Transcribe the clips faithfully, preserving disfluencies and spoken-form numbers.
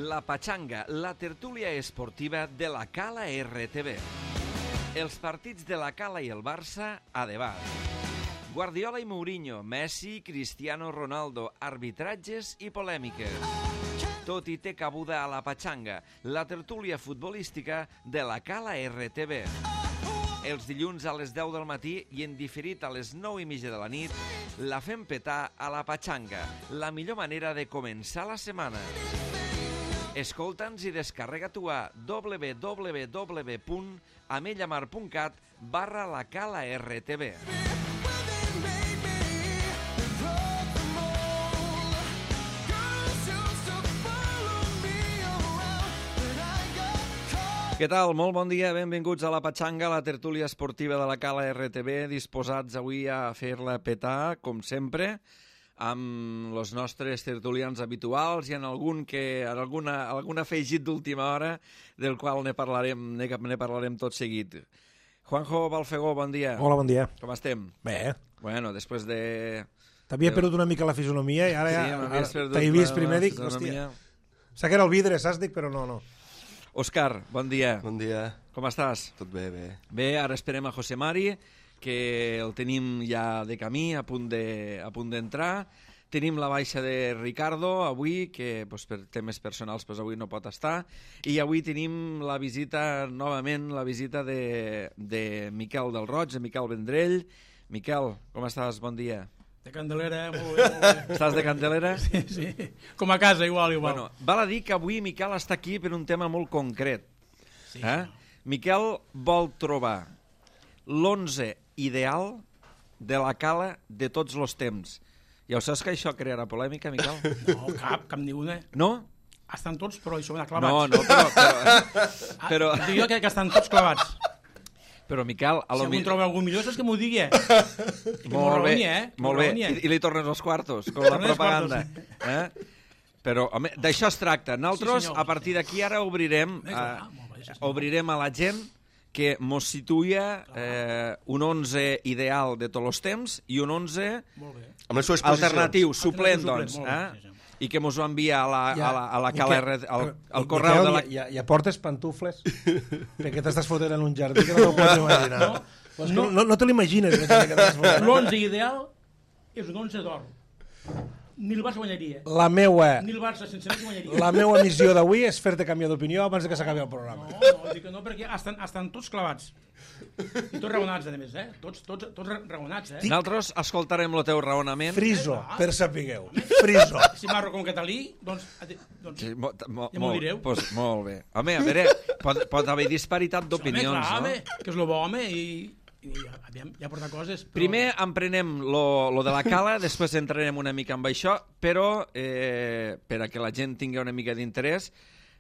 La Pachanga, la tertúlia esportiva de la Cala R T V. Els partits de la Cala i el Barça a debat. Guardiola i Mourinho, Messi, Cristiano Ronaldo, arbitratges i polèmiques. Tot i té cabuda a la Pachanga, la tertúlia futbolística de la Cala R T V. Els dilluns a les deu del matí i en diferit a les nou i mitja de la nit, la fem petar a la Pachanga, la millor manera de començar la setmana. Escolta'ns i descarrega-t'ho a w w w punt amellamar punt cat barra la Cala R T V. Què tal? Molt bon dia, benvinguts a la Pachanga, la tertúlia esportiva de la Cala R T V, disposats avui a fer-la petar, com sempre, amb els nostres tertulians habituals i en algun que en alguna, algun afegit d'última hora del qual ne parlarem, ne, ne parlarem tot seguit. Juanjo Balfegó, bon dia. Hola, bon dia. Com estem? Bé. Bueno, després de... T'havia perdut una mica la fisonomia i ara sí, ja t'he vist primer, dic, hòstia, sé que era el vidre, saps? Dic, però no, no. Òscar, bon dia. Bon dia. Com estàs? Tot bé, bé. Bé, ara esperem a José Mari, que el tenim ja de camí, a punt de, a punt d'entrar. Tenim la baixa de Ricardo avui, que pues, per temes personals pues, avui no pot estar. I avui tenim la visita, novament, la visita de, de Miquel del Roig, de Miquel Vendrell. Miquel, com estàs? Bon dia. De Candelera, eh? Molt bé, molt bé. Estàs de Candelera? Sí, sí. Com a casa, igual, igual. Bueno, val a dir que avui Miquel està aquí per un tema molt concret. Sí, eh? Miquel vol trobar l'onze ideal de la Cala de tots els temps. Ja ho saps que això crearà polèmica, Miquel? No, cap, cap ni una. No? Estan tots, però això van clavats. No, no, però... però, però... Ah, dic jo que, que estan tots clavats. Però, Miquel... A si lo algú mi... troba algú millor, saps que m'ho digui, eh? Molt bé, eh? molt bé. I, I li tornes els quartos, com la propaganda. Eh? Però, home, d'això es tracta. Nosaltres, sí, a partir d'aquí, ara obrirem, eh, a, bé, sí, obrirem a la gent que mos situïa eh, un onze ideal de tots els temps i un onze alternatiu, suplent, doncs. Eh? I que mos ho envia a la, ja, a la, a la Cala R, al, al correu Miquel, de la... Ja, ja portes pantufles? Perquè t'estàs fotent en un jardí que no t'ho pots imaginar. No, pues no, no, no te l'imagines. L'onze ideal és un onze d'or. Ni el Barça guanyaria. La meua... Ni el Barça sense més guanyaria. La meua missió d'avui és fer-te canviar d'opinió abans que s'acabi el programa. No, no, dic que no, perquè estan, estan tots clavats. I tots raonats, a més, eh? Tots, tots, tots raonats, eh? Nosaltres escoltarem el teu raonament. Friso, per sapigueu. Friso. Si marro com catalí, doncs... doncs sí, mo, mo, ja m'ho direu. Pues, molt bé. Home, a veure, pot, pot haver disparitat d'opinions, home, clar, no? Home, que és lo bo, home, i... i ja, ja porta coses, però... Primer emprenem lo, lo de la Cala, després entrarem una mica amb això, però eh, per a que la gent tingui una mica d'interès,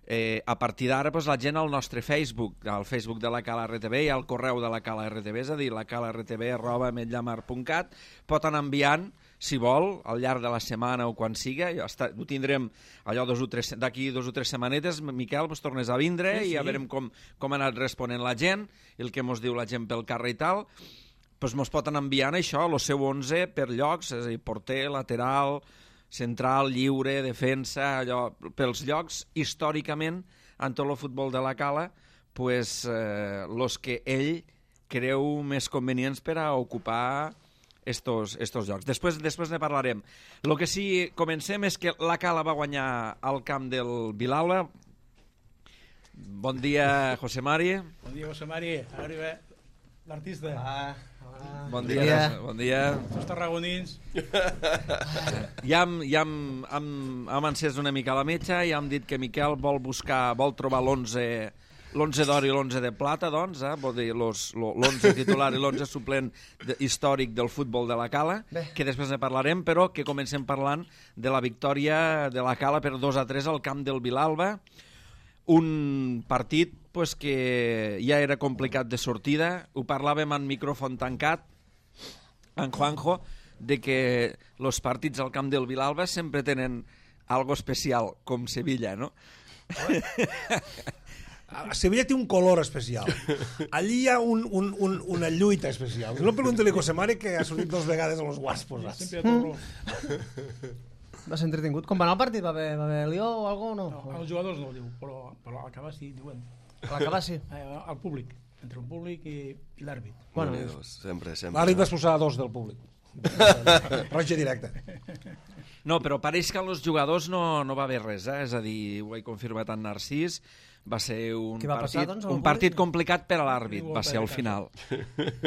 eh, a partir d'ara pues, la gent al nostre Facebook, al Facebook de la Cala R T V i al correu de la Cala R T V, és a dir, la cala r t v arroba ametlllamar punt cat, pot anar enviant, si vol, al llarg de la setmana o quan siga, està, ho tindrem allò d'aquí dos o tres setmanetes, Miquel, pues, tornes a vindre sí, sí. i a veurem com, com ha anat responent la gent, el que mos diu la gent pel carrer i tal, pues mos pot anar enviant això, el seu onze per llocs, és a dir, porter, lateral, central, lliure, defensa, allò, pels llocs, històricament, en tot el futbol de la Cala, pues, eh, los que ell creu més convenients per a ocupar estos, estos jocs. Després, després ne parlarem. El que sí comencem és que la Cala va guanyar al camp del Vilalba. Bon dia, José Mari. Bon dia, José Mari. Arriba l'artista. Ah, ah. Bon dia. dia. Bon dia. Els tarragonins. Ja hem, ja hem, hem, hem encès una mica la metxa i hem dit que Miquel vol buscar, vol trobar l'onze l'onze d'or i l'onze de plata, doncs, eh? Vol dir l'onze titular i l'onze suplent de, històric del futbol de la Cala, Bé. que després ne parlarem, però que comencem parlant de la victòria de la Cala per dos a tres al camp del Vilalba, un partit pues, que ja era complicat de sortida, ho parlàvem en micròfon tancat, en Juanjo, de que els partits al camp del Vilalba sempre tenen algo especial, com Sevilla, no? A Sevilla té un color especial. Allí hi ha un, un, un, una lluita especial. No pregunti-li a José Mare, que ha sortit dues vegades a los Guaspos. Sempre hi ha tot. Va ser entretingut. Com va anar el partit? Va haver, va haver lió o alguna cosa? No? no, els jugadors no ho diu, però, però al acabar sí, diuen. A l'acabar sí. Eh, al públic, entre el públic i, i l'àrbit. Bueno, sempre, sempre. L'àrbit va expulsar a dos del públic. Roja directa. No, però pareix que als jugadors no, no va haver res, eh? És a dir, ho he confirmat en Narcís, va ser un, va partit, passar, doncs, un partit complicat per a l'àrbit, va ser al final.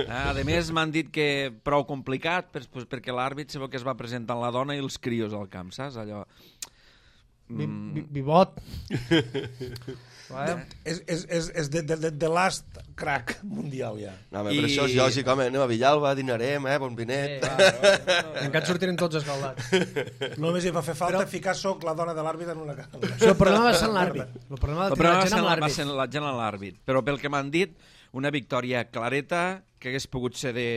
A més, m'han dit que prou complicat per, pues, perquè l'àrbit se veu que es va presentar la dona i els crios al camp, saps? Allò... Mm... Vivot. És, és, és, és de, de, de, de last crack mundial, ja. No, home, I... però això és lògic, home, anem a Villalba, dinarem, eh, bon vinet. Sí, encara sortirem tots escaldats. Només hi va fer falta però... ficar soc la dona de l'àrbit en una cara. Això, el problema va ser en l'àrbit. El problema el problema va ser, va ser la gent en l'àrbit. Però pel que m'han dit, una victòria clareta, que hagués pogut ser de,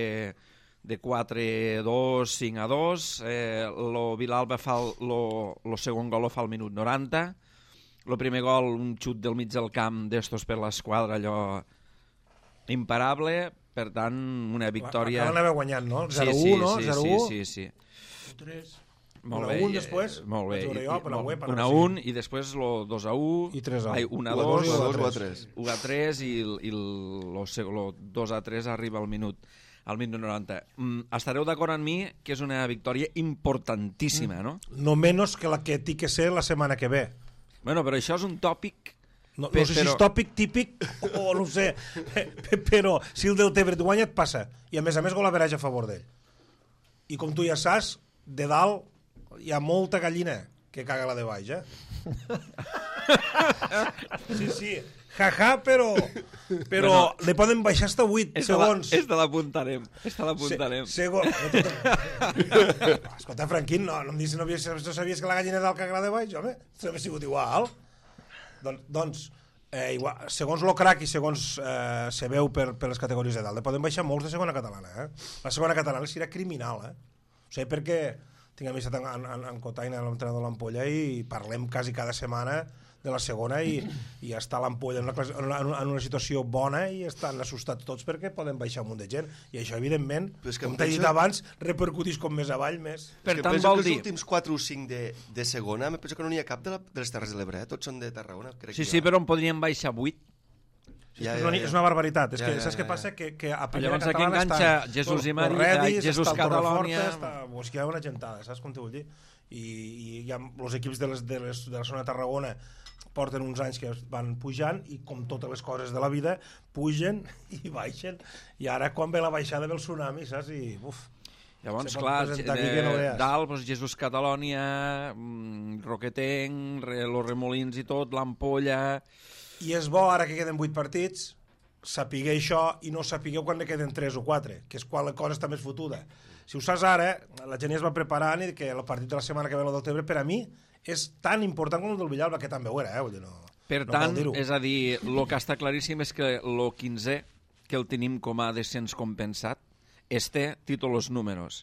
de quatre a dos, cinc a dos. Eh, lo Vilalba fa el lo, lo segon gol lo fa al minut noranta. El primer gol, un xut del mig del camp d'estos per l'esquadra, allò imparable, per tant, una victòria... Acaba d'haver guanyant, no? zero u, sí, sí, no? Sí, zero u. sí, sí, sí. tres. Molt bé. un un després? Molt bé. un a un i després el dos a u. I tres a u. Ai, un a dos. u a tres. u a tres i el dos a tres arriba al minut. Al minut noranta. Mm, estareu d'acord amb mi que és una victòria importantíssima, no? No menys que la que té que ser la setmana que ve. Bueno, però això és un tòpic... No, no sé però... si és tòpic, típic, o no ho sé, però si el del Tebre et guanya et passa. I a més a més gol average a favor d'ell. I com tu ja saps, de dalt hi ha molta gallina que caga la de baix, eh? Sí, sí, jaja, però però bueno, li poden baixar hasta vuit segons. Esta l'apuntarem, esta l'apuntarem. Se, segon... Escolta, Franquín, no, no em dius, no, no sabies que la gallina dalt caga la de baix, home? Això hauria sigut igual. Don, doncs, eh, igual, segons lo crack i segons eh, se veu per, per les categories de dalt, poden baixar molts de segona catalana, eh? La segona catalana serà criminal, eh? O sigui, perquè tinc amistat en, en, en Cotaina, l'entrenador de l'Ampolla, i parlem quasi cada setmana de la segona i, i està l'Ampolla en, una, en una situació bona i estan assustats tots perquè poden baixar un munt de gent i això evidentment, com t'he dit abans, repercutís com més avall més. Per tant, vol dir... Els últims quatre o cinc de, de segona, em penso que no n'hi ha cap de, la, de les Terres de l'Ebre, eh? Tots són de Tarragona. Crec sí, que sí, però en podríem baixar vuit. Ja, ja, ja. És una barbaritat. És ja, que, ja, ja. Saps què passa? Que, que a primera llavors catalana aquí enganxa està Jesús i Maria, Jesús Catalònia... Pues que hi ha una gentada, saps com t'ho vull dir? I, i hi ha els equips de, les, de, les, de la zona de Tarragona porten uns anys que van pujant i com totes les coses de la vida pugen i baixen i ara quan ve la baixada ve el tsunami, saps? I uf, llavors, clar, eh, no dalt, doncs, Jesús Catalònia, Roquetenc, los Remolins i tot, l'Ampolla... I és bo ara que queden vuit partits sapigueu això i no sapigueu quan ne queden tres o quatre, que és quan la cosa està més fotuda. Si ho saps ara, la gent ja es va preparant i que el partit de la setmana que ve, el del Tebre, per a mi és tan important com el del Villalba, que també ho era, eh? Vull dir, no, per no tant, és a dir, el que està claríssim és que el quinzè, que el tenim com a descens compensat, este títol los números.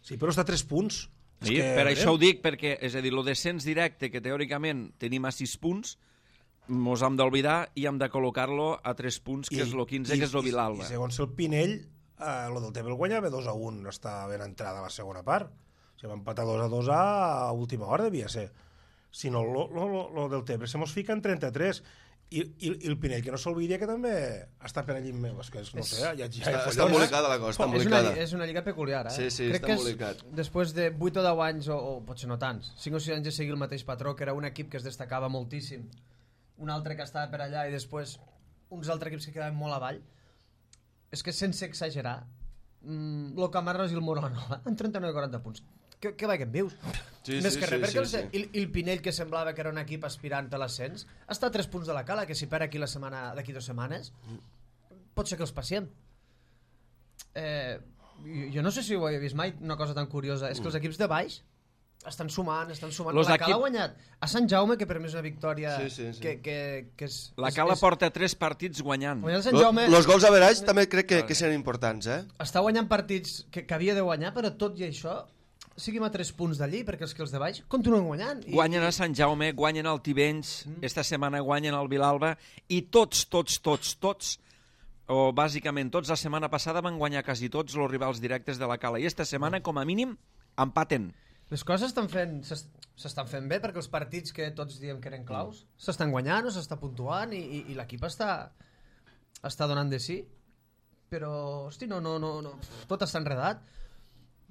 Sí, però està a tres punts. Sí, que... per això ho dic, perquè, és a dir, el descens directe, que teòricament tenim a sis punts, mos hem d'oblidar i hem de col·locar-lo a tres punts, que I, és el quinze, i, que és el Vilalba. I, i segons el Pinell, eh, el del Tebre el guanyava dos a un, està ben entrada a la segona part. O sigui, va empatar dos a dos a última hora, devia ser. Si no, lo, lo, lo, lo del Tebre se mos fica en trenta-tres. I, i, i el Pinell, que no s'olvidi que també està per allí meu. És que no sé, ja, ja està, està embolicada la cosa, està embolicada. És una, és una lliga peculiar, eh? Sí, sí, crec està embolicat. Després de vuit o deu anys, o, o potser no tants, cinc o sis anys de seguir el mateix patró, que era un equip que es destacava moltíssim, un altre que estava per allà i després uns altres equips que quedaven molt avall, és que sense exagerar, mmm, el Camarles i el Moronova en trenta-nou i quaranta punts. Què, què veiem, vius? Sí, Més sí, que res, sí, perquè sí, el, sí. el Pinell, que semblava que era un equip aspirant a l'ascens, està a tres punts de la cala, que si perd aquí la setmana d'aquí dues setmanes, pot ser que els passem. Eh, jo no sé si ho he vist mai, una cosa tan curiosa, és que els equips de baix estan sumant, estan sumant. Los la equip... Cala ha guanyat a Sant Jaume, que per mi és una victòria sí, sí, sí. Que, que, que és... La Cala és, porta tres partits guanyant. guanyant Sant Jaume... Los gols average també crec que, que seran importants, eh? Està guanyant partits que, que havia de guanyar, però tot i això siguem a tres punts d'allí, perquè els que els de baix continuen guanyant. I... Guanyen a Sant Jaume, guanyen al Tivenys, mm. esta setmana guanyen al Vilalba, i tots, tots, tots, tots, o bàsicament tots, la setmana passada van guanyar quasi tots els rivals directes de la Cala, i esta setmana, com a mínim, empaten. Les coses s'estan fent, s'estan fent bé perquè els partits que tots diem que eren claus s'estan guanyant o s'està puntuant i, i, i l'equip està, està donant de sí. Però, hosti, no, no, no, no, tot està enredat.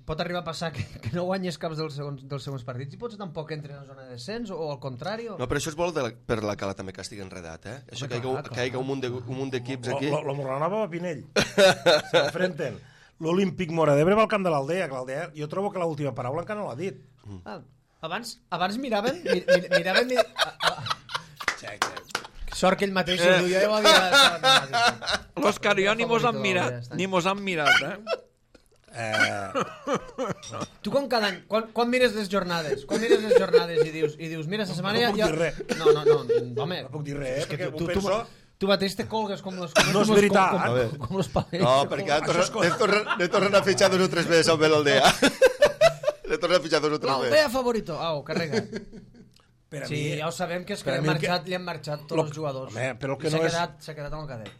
Pot arribar a passar que, que no guanyes caps dels segons, dels segons partits i potser tampoc entri en la zona de descens o, o al contrari. O... No, però això és bo de la, per la cala també que estigui enredat, eh? Això que hi hagi un munt de, un munt d'equips aquí. Lo, lo, lo Morlanova va a Pinell. S'enfrenten. L'Olímpic Mora d'Ebre va al camp de l'Aldea, que l'Aldea, jo trobo que l'última paraula encara no l'ha dit. Mm. Ah, abans, abans miraven... Mir, mir, miraven... Mir, a, a... Check, Sort que ell mateix ho duia, jo ho havia... L'Òscar i jo ni mos han mirat, ni mos han mirat, eh? Eh... Tu quan cada any, quan, quan mires les jornades, quan mires les jornades i dius, i dius mira, esta setmana no ja... puc dir res. No, no, no, home. No puc dir res, eh, perquè tu, ho tu, penso... Tu mateix te colgues com los... Com no és com veritat. Com, com, com, com los palets. No, perquè anem tornant torna a fitxar dos o tres mesos amb l'Aldea. L'he tornat a fitxar dos o tres mesos. L'Aldea favorito. Au, carrega. Per a sí, mi, ja ho sabem que és que, per a li han, mi marxat, que- li han marxat tots lo- els jugadors. home, però el que I s'ha no és- quedat, s'ha quedat amb el cadet.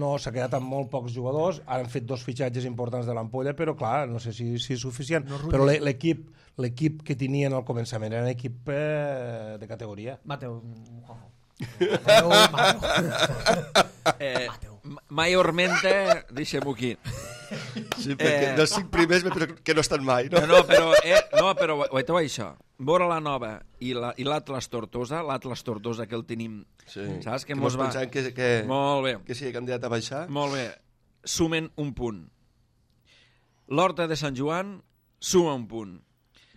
no, s'ha quedat amb molt pocs jugadors, han fet dos fitxatges importants de l'Ampolla, però clar, no sé si, si és suficient. No però l'e- l'equip l'equip que tenien al començament era un equip eh, de categoria. Mateu. Mateu, Mateu. Eh, Maiormente, deixem-ho aquí. Sí, perquè Eh. dels cinc primers que no estan mai, no? No, no, però, eh, no, però guaiteu això. Vora la Nova i l'Atlas Tortosa, l'Atlas Tortosa que el tenim, Sí. saps? Que, Que mos mos va... pensàvem que, que, Molt bé, que sigui candidat a baixar. molt bé. Sumen un punt. L'Horta de Sant Joan suma un punt.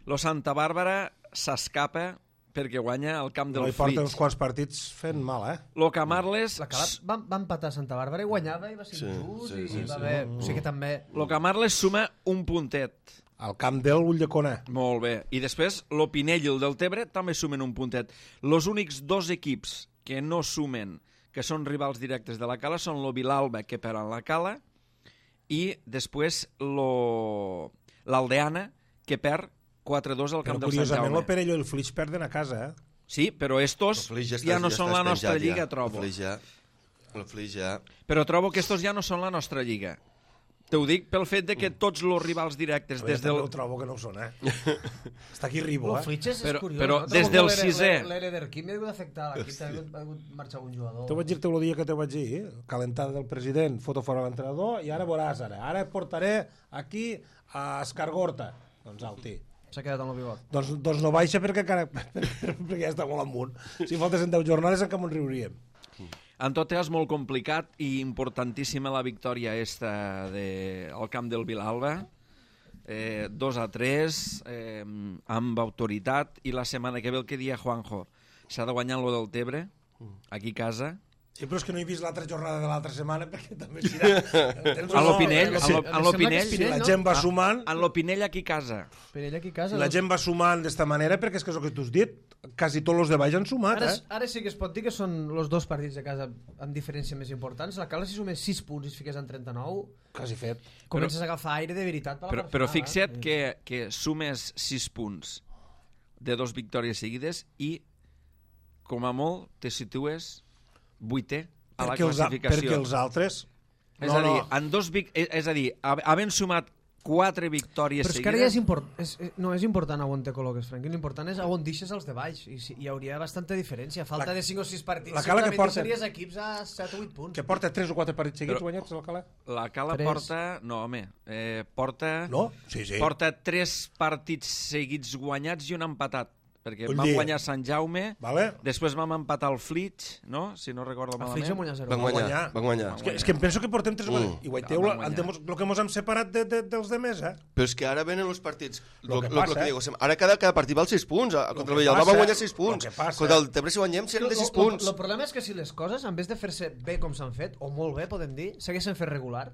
Lo Santa Bàrbara s'escapa perquè guanya el camp No del hi porta uns Flix. quants partits fent mal, eh? Lo Camarles... La Cala va, va empatar a Santa Bàrbara i guanyava i va ser Sí, injust sí, i, sí, i va sí. haver... O sigui que també... Lo Camarles suma un puntet. Al camp del Ulldecona. Molt bé. I després lo Pinell i el Deltebre també sumen un puntet. Los únics dos equips que no sumen, que són rivals directes de la Cala, són lo Vilalba, que perd en la Cala, i després lo l'Aldeana, que perd quatre dos al Però camp del Sant curiosament Jaume. el Perelló i el Flix perden a casa, eh? Sí, però estos El Flix ja, està- no està són la nostra espenjat, lliga, ja. trobo. El Flix ja... El Flix ja... Però trobo que estos ja no són la nostra lliga. Te ho dic pel fet de que tots els rivals directes des Des del... Ho trobo que no ho són, eh? Està aquí Ribo, El eh? Flitges és Però- curiós. però no? des Trobo del que l'Ere- sisè. L'Ere d'Erquim ha hagut d'afectar l'equip, també ha hagut- ha hagut marxar un jugador. Te vaig dir-te el dia que te vaig dir, eh? Calentada del president, foto fora l'entrenador, i ara veuràs, ara. Ara et portaré aquí a Escargorta. Doncs au, tí. S'ha quedat amb el bigot. Doncs, doncs no baixa perquè, encara, perquè ja està molt amunt. Si faltessin deu jornades encara m'ho riuríem. En tot cas, molt complicat i importantíssima la victòria esta de, al camp del Vilalba. Eh, dos a tres, eh, amb autoritat, i la setmana que ve el que dia Juanjo. S'ha de guanyar lo del Tebre, aquí a casa. Sí, però és que no he vist l'altra jornada de l'altra setmana perquè també serà... A l'Opinell, no, a l'O- em a sembla que l'Opinell, és Si Pinell, la no? gent va sumant, en l'Opinell aquí a casa. Per ell aquí a casa... si la doncs, gent va sumant d'esta manera, perquè és que és el que tu has dit, quasi tots els de baix han sumat, Ara, eh? ara sí que es pot dir que són els dos partits de casa amb diferència més importants. La Cala si sumés sis punts i es fiqués en trenta-nou, Quasi fet. comences a agafar aire de veritat per la Però, part però final, fixa't eh? que, que sumes sis punts de dos victòries seguides i, com a molt, te situes vuitè a la Perquè els, a- classificació. perquè els altres... És a dir, en dos vic... és, és a dir, ha- havent sumat quatre victòries Però és que ara ja seguides... és, import... és, eh, no, és important on te col·loques, Frank. L'important és on deixes els de baix. I si, hi hauria bastanta diferència. A falta La- de cinc o sis partits. la Cala que segurament porta- deixaries equips a set o vuit punts. Que porta tres o quatre partits seguits Però- guanyats, el Cala? La Cala Tres. porta... No, home, eh, porta... No? Sí, sí. Porta tres partits seguits guanyats i un empatat. Perquè Vull vam dir- guanyar Sant Jaume, Vale? després vam empatar el Flitx, no? Si no recordo El Flix va malament. guanyar zero. Van guanyar, guanyar. van guanyar. És que, és que em penso que portem tres... Mm. Mm. I guaiteu Van guanyar. el que mos hem separat de, de, dels demés, eh? Però és que ara venen els partits. Lo Lo, que lo, lo passa, que eh? digo, ara cada, cada partit val sis punts. A- Lo Contra que el Villalba passa- van guanyar sis lo punts. que passa- Contra el Tebre si guanyem seran de sis punts. El problema és que si les coses, en vez de fer-se bé com s'han fet, o molt bé, podem dir, s'haguessin fet regular,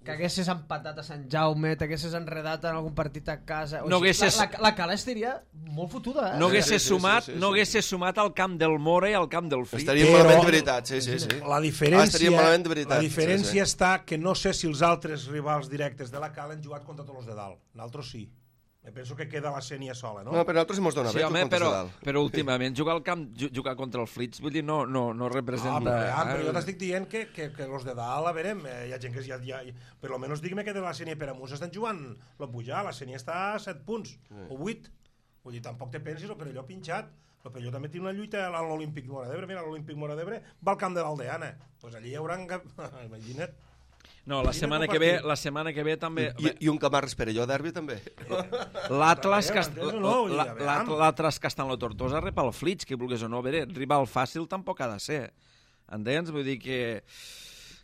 que haguessis empatat a Sant Jaume, t'haguessis enredat en algun partit a casa... O No sigui, haguessis- La, la, la Cala estaria molt fotuda, eh? No Sí, hagués sí, sí, sumat, sí, sí, no sí. hagués sumat al camp del Mora i al camp del Flitx. Estaríem Però- malament de veritat, sí, sí, sí. La Ah, diferència, estaríem malament de veritat. la diferència Sí, sí. està que no sé si els altres rivals directes de la Cala han jugat contra tots els de dalt. Nosaltres sí. Me penso que queda la Sènia sola, no? No, però a nosaltres mos dona Sí, bé, home, tu comptes però, de dalt. però últimament jugar al camp, ju- jugar contra el Flits, vull dir, no, no, no Ah, representa... però, ja, eh? però jo t'estic dient que, que, que los de dalt, a veure, eh, hi ha gent que ja, ja, per lo menos digue-me que de la Sènia per amunt estan jugant lo pujar, la Sènia està a set punts, o vuit. Vull dir, tampoc te pensis, el Perelló pinxat. El Perelló també té una lluita a l'Olímpic Mora d'Ebre. Mira, l'Olímpic Mora d'Ebre va al camp de l'Aldeana. Doncs pues allí hi haurà... Imagina't. No, la setmana que ve, la setmana que ve també... I, i un Camarres Perelló derbi també. L'Atlas que, M'entens o no? Vull dir, la- a veure. la- l'Atlas que està en la Tortosa rep el Flits, que vulguis o no. A veure, rival fàcil tampoc ha de ser. Entens? Vull dir que...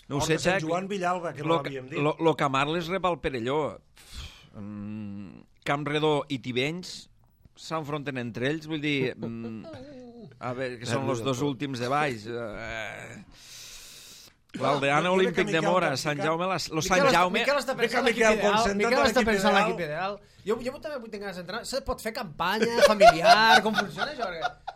No ho Hort sé, de Sant Xec. Joan Villalba, que no Lo, l'havíem dit. lo, lo Camarles rep el Perelló. Mm, Campredó i Tivenys s'enfronten entre ells, vull dir... Mm, a veure, que són els dos últims de baix. Eh, L'Aldeana jo crec Olímpic que de Miquel Mora, Capsicat- Sant Jaume, les, lo Miquel Sant està- Jaume... Miquel està pensant Miquel, l'equip ideal. concentra't Miquel en està l'equip pensant ideal. l'equip ideal. Jo, jo també vull tenir ganes d'entrar. Se pot fer campanya familiar, com funciona això? Perquè...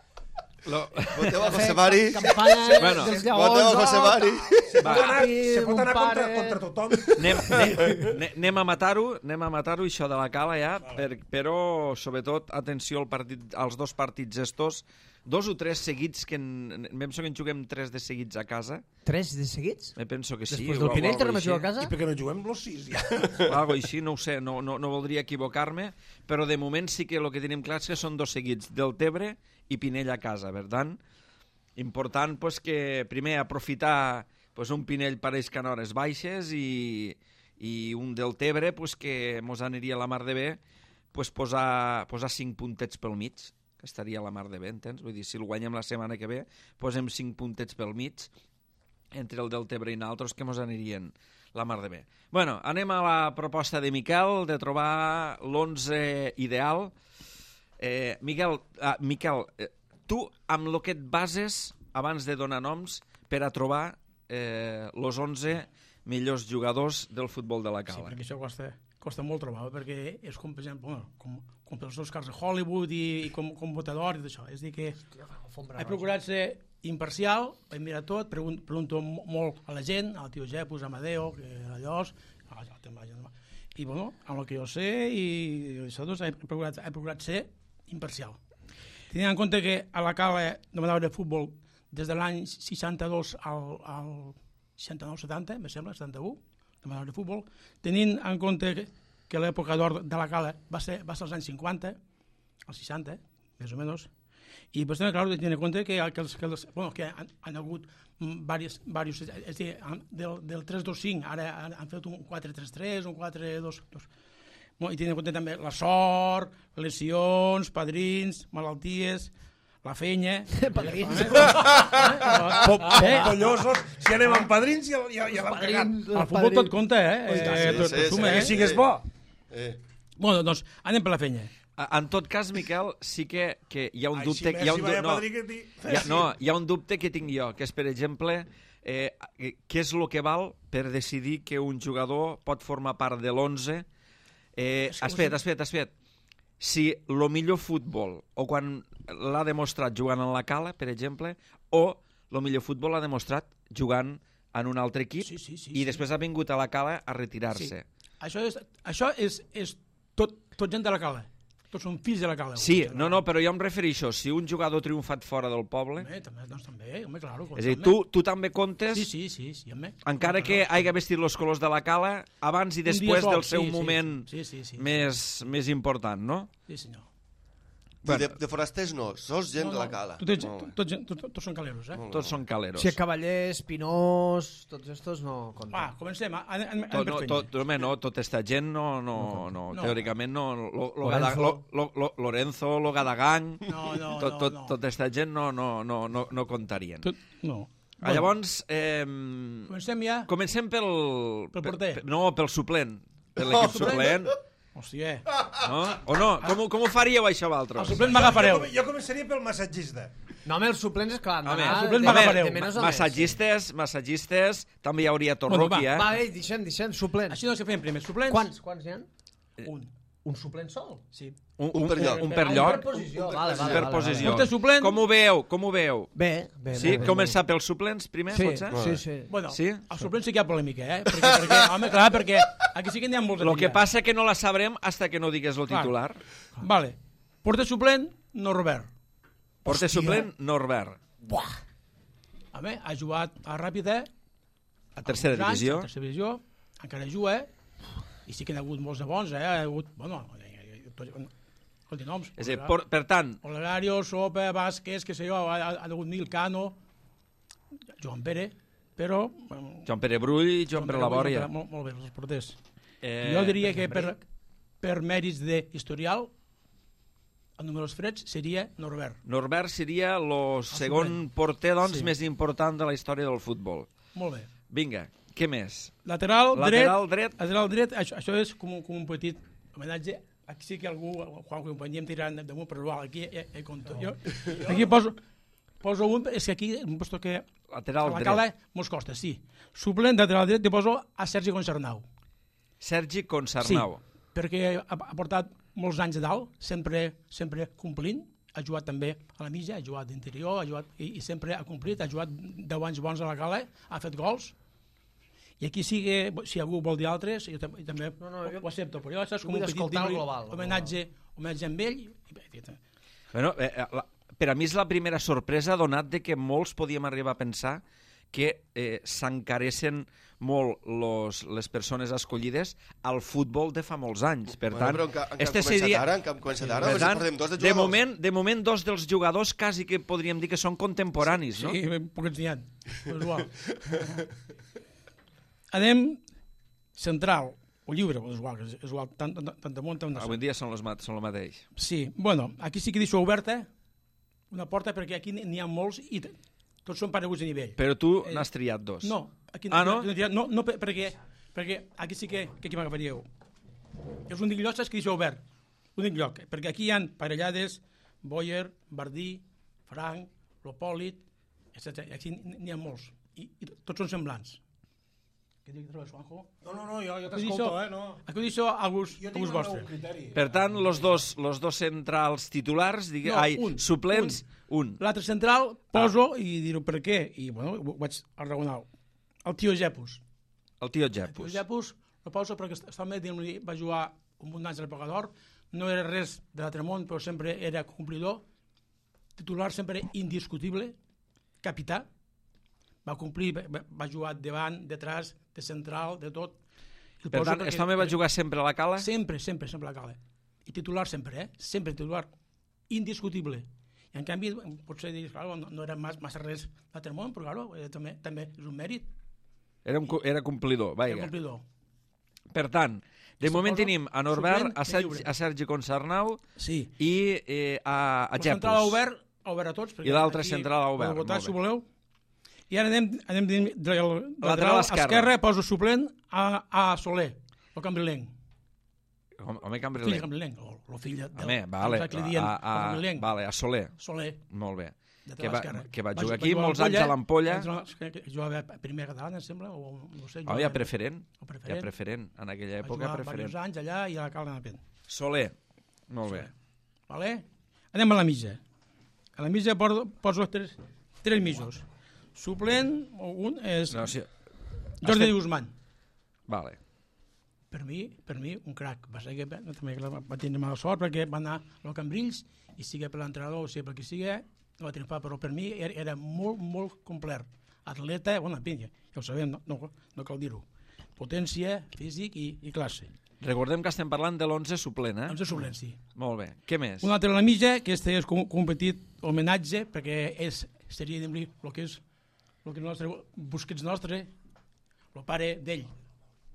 Lo... Voteu a José Mari. Campanya Bueno, dels voteu lleons. a José oh, Mari. Se pot anar, Papi, se pot mon anar contra, pare. contra tothom. Anem, anem, anem- anem a matar-ho, anem a matar-ho, això de la cala ja, per, però sobretot atenció al partit, als dos partits estos, dos o tres seguits, que en, em penso que en juguem tres de seguits a casa, Tres de seguits? me penso que sí. Després o del Pinell algo tornem a així. jugar a casa? I per què no juguem los sis, ja? Algo així, no ho sé, no, no, no voldria equivocar-me, però de moment sí que el que tenim clar és que són dos seguits, del Tebre i Pinell a casa, per tant, important pues, que primer aprofitar pues, un Pinell pareix que en hores baixes i, i un del Tebre pues, que mos aniria a la mar de bé pues, posar, posar cinc puntets pel mig, que estaria a la mar de bé, entens? Vull dir, si el guanyem la setmana que ve, posem cinc puntets pel mig entre el del Tebre i nosaltres que mos anirien la mar de bé. Bueno, anem a la proposta de Miquel de trobar l'onze ideal. Eh, Miquel, ah, Miquel eh, tu amb el que et bases abans de donar noms per a trobar eh, los onze millors jugadors del futbol de la Sí, cala. perquè això costa, costa molt trobar, perquè és com, per exemple, bueno, com, com pels Oscars de Hollywood i, i com, com votador i d'això. És a dir que he procurat ser imparcial, he mirat tot, pregun pregunto molt a la gent, al tio Jepus, a Amadeo, que era Llos, a la gent, i bueno, amb el que jo sé i, i això, doncs, he procurat, he procurat ser imparcial. Tenint en compte que a la cala demanava de futbol des de l'any seixanta-dos al, al seixanta-nou setanta, me sembla, setanta-u, demanava de futbol, tenint en compte que, que l'època d'or de la cala va ser, va ser als anys cinquanta, als seixanta, més o menys, i pues, també, clar, tenint en compte que, que, els, que, els, bueno, que han, han hagut diversos, diversos, és a dir, del, del tres dos cinc, ara han, han fet un quatre tres tres, un quatre dos dos. Bueno, i tenint en compte també la sort, lesions, padrins, malalties, la fenya... Padrins. Pollosos, si anem amb padrins ja, ja, ja l'hem cagat. El futbol tot compta, eh? tant, eh sí, tot, sí, tot suma, sí, eh? Que sigues bo. Eh. Bueno, doncs, anem per la fenya. A- En tot cas, Miquel, sí que, que hi ha un Ai, dubte... si hi ha un, Messi vaya du- no, padrí que ti- hi ha, no, hi ha un dubte que tinc jo, que és, per exemple, eh, què és el que val per decidir que un jugador pot formar part de l'onze. Eh, has fet, has fet, has fet. Si el millor futbol, o quan l'ha demostrat jugant en la cala, per exemple, o el millor futbol l'ha demostrat jugant en un altre equip Sí, sí, sí, i sí. després ha vingut a la cala a retirar-se. Això és, això és, és tot, tot gent de la cala. Tots són fills de la cala. Sí, no, no, però jo em refereixo, si un jugador ha triomfat fora del poble, Home, també, doncs també, home, claro. és a dir, tu, tu també comptes, Sí, sí, sí, sí, home. encara que hagi vestit els colors de la cala, abans i Un dia després sol, del seu sí, sí, moment sí, sí, sí, sí. més, més important, no? Sí, senyor. Bueno. De, de forasters no, sos gent de la cala. Tots, Molt bé. tots, tots, tots, tots són caleros, eh? Tots són caleros. Si Cavallers, Pinós, tots estos no compten. Va, comencem. Anem, anem, Tot, anem no, per tot, feina. home, no, tota esta gent no, no, no, No. teòricament no, lo, lo, Lorenzo. Gada, lo, lo, lo, Lorenzo, lo Gadagang, No, no, tot, no, tot, no. tota esta gent no, no, no, no, no comptarien. Tot, no. Ah, llavors, eh, Comencem ja? comencem pel... Pel porter. Per, no, pel suplent, per l'equip suplent. Hòstia. No? O no? Com, ho- com ho faríeu, això, El vosaltres? suplent m'agafareu. Jo, jo començaria pel massatgista. No, home, els suplents, esclar, han Home, d'anar els suplents de- m'agafareu. de menys a més. Massatgistes, massatgistes, també hi hauria Bueno, Torroqui, va, eh? Va, ei, deixem, deixem, suplents. Així doncs que fem primer. Suplents? Quants, quants n'hi ha? Un. Un suplent sol? Sí. Un, Un per lloc. Un per lloc. Per posició, vale, vale, Per vale, posició. Porter suplent. Com ho veieu? Com ho veieu? Bé, bé. Sí? molt bé, Començar molt pels suplents primer, bé. potser? Sí, sí, sí. Bueno, Sí? al suplent sí que hi ha polèmica, eh? Perquè, perquè, home, clar, perquè aquí sí que n'hi ha molts a Lo que triar. passa que no la sabrem hasta que no digues lo Clar. titular. Vale. Porter suplent, Norbert. Porter suplent, Norbert. Buah. Home, ha jugat a Ràpida, A tercera uns anys, divisió. a tercera divisió, encara juga, i sí que n'hi ha hagut molts de bons, eh? Ha hagut, bueno, escolti, noms. És a dir, por, per tant, Olegario, Sopa, Vázquez, que sé jo, ha, ha, ha hagut Nil Cano, Joan Pere, però... bueno, Joan Pere Brull i Joan Pere Labòria. Molt, molt bé, els porters. Eh, Jo diria que per, per mèrits d'historial, el números freds seria Norbert. Norbert seria el segon suplent. porter doncs, Sí. més important de la història del futbol. Molt bé. Vinga, què més? Lateral, Lateral dret, dret. lateral dret, això, això és com, un- com un petit homenatge. Aquí sí que algú, quan ho podíem tirar damunt, però igual, aquí ja, ja compto. Jo, aquí poso, poso un, és que aquí em posto que a Lateral la dret. cala mos costa, sí. Suplent de lateral dret, te poso a Sergi Concernau. Sergi Sí, Concernau. perquè ha, ha portat molts anys a dalt, sempre, sempre complint, ha jugat també a la mitja, ha jugat d'interior, ha jugat, i, i sempre ha complit, ha jugat deu anys bons a la cala, ha fet gols, i aquí sí que, si algú vol dir altres, jo, tam jo també No, no, jo- ho accepto, però jo això és jo com un vull petit escoltar el dibuix, global, el homenatge, homenatge amb ell, i bé, i- Bueno, eh, eh, la, per a mi és la primera sorpresa donat de que molts podíem arribar a pensar que eh, s'encaressen molt los, les persones escollides al futbol de fa molts anys. Per tant, bueno, però encara, encara este començat seria... ara, encara començat ara, Per sí, tant, portem dos de de, jugadors. moment, de moment, dos dels jugadors quasi que podríem dir que són contemporanis, no? sí, poquets n'hi ha, però és igual. Anem central, o lliure, és igual, és, és igual, tant, tant, tant damunt, tant Avui en dia són, los, mat- són el mateix. Sí, bueno, aquí sí que deixo oberta una porta perquè aquí n'hi ha molts i t- tots són pareguts de nivell. Però tu Eh, n'has triat dos. No, aquí Ah, no? no, no, no per- perquè, perquè aquí sí que, que aquí m'agafaríeu. És un lloc que deixo obert, un lloc, perquè aquí hi ha parellades, Boyer, Bardí, Frank, Lopòlit, etcètera. Aquí n'hi ha molts, i, i tots són semblants. Què dius, trobes, Juanjo? No, no, no, jo, jo Aquí t'escolto, deixo- eh, no. Aquí ho deixo a gust, Jo a tinc gust el vostre. meu criteri. Per tant, los dos, los dos centrals titulars, digue, No, ai, un, suplents, un. L'altre central poso i diré per què, i bueno, ho vaig arraonar. El tio Jepus. El tio El tio Jepus. Jepus lo poso perquè estava dient va jugar un munt d'anys al Pagador, no era res de l'altre món, però sempre era complidor, titular sempre indiscutible, capità, va complir, va, va jugar davant, detrás, de central, de tot. El Per poso tant, perquè- aquest home va jugar sempre a la cala? Sempre, sempre, sempre a la cala. I titular sempre, eh? Sempre titular. Indiscutible. I en canvi, potser dius, claro, no, no era massa, massa res l'altre món, però claro, eh, també, també és un mèrit. Era, un, cu- era complidor, Era vaja. complidor. Per tant, de Suposo, moment tenim a Norbert, suplent a i Sergi, lliure. a Sergi Concernau Sí. i eh, a, a La central ha Jepus. obert, ha obert a tots. perquè I l'altre aquí central ha obert, podeu votar, molt si bé. voleu. I ara anem, anem del Lateral lateral esquerre. esquerre, poso suplent a, a Soler, el cambrilenc. Home, home Fill Cambrilenc. cambrilenc, o el fill del... Home, vale, del que li diuen a, el a, cambrilenc. vale, a Soler. Soler, Molt bé. lateral Que va, esquerre. que va Va jugar ju- aquí va jugar molts a anys a l'Ampolla. que- que Jugava a primera catalana, em sembla, o no sé. Oh, jugava- ja preferent. o Ja preferent. preferent. En aquella Va època, jugar preferent. diversos anys allà i a la Calda de Pen. Soler. Molt bé. Vale? Anem a la mitja. A la mitja poso, poso tres, tres mitjos. Suplent, o un és No, sí. Jordi estem- Guzmán. Vale. Per mi, per mi, un crac. Va ser que va, també va, va tenir mala sort perquè va anar a Cambrils i sigui per l'entrenador o sigui per qui sigui, no va triomfar, però per mi era, era molt, molt complet. Atleta, bueno, vinga, ja ho sabem, no, no, no cal dir-ho. Potència, físic i, i classe. Recordem que estem parlant de l'onze suplent, eh? Doncs és suplent, sí. Molt bé. Què més? Un altre a la mitja, que este és com, com un petit homenatge, perquè és, seria, diguem-li, el que és el que el nostre, Busquets nostre, el pare d'ell.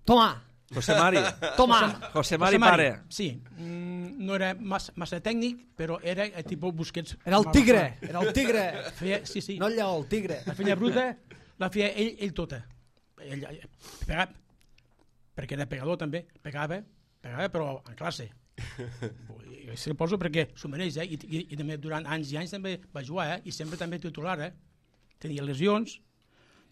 Toma! José Mari. Toma! José Mari José Mari, pare. Sí, mm, no era massa, massa tècnic, però era el tipus Busquets. Era el tigre! Era el tigre! Feia, sí, sí. No el lleó, el tigre. La feina bruta la feia ell, ell tota. Ell, ell, pegava, perquè era pegador també, pegava, pegava però en classe. I se poso perquè s'ho mereix, eh? I, i, i també durant anys i anys també va jugar, eh? I sempre també titular, eh? Tenia lesions,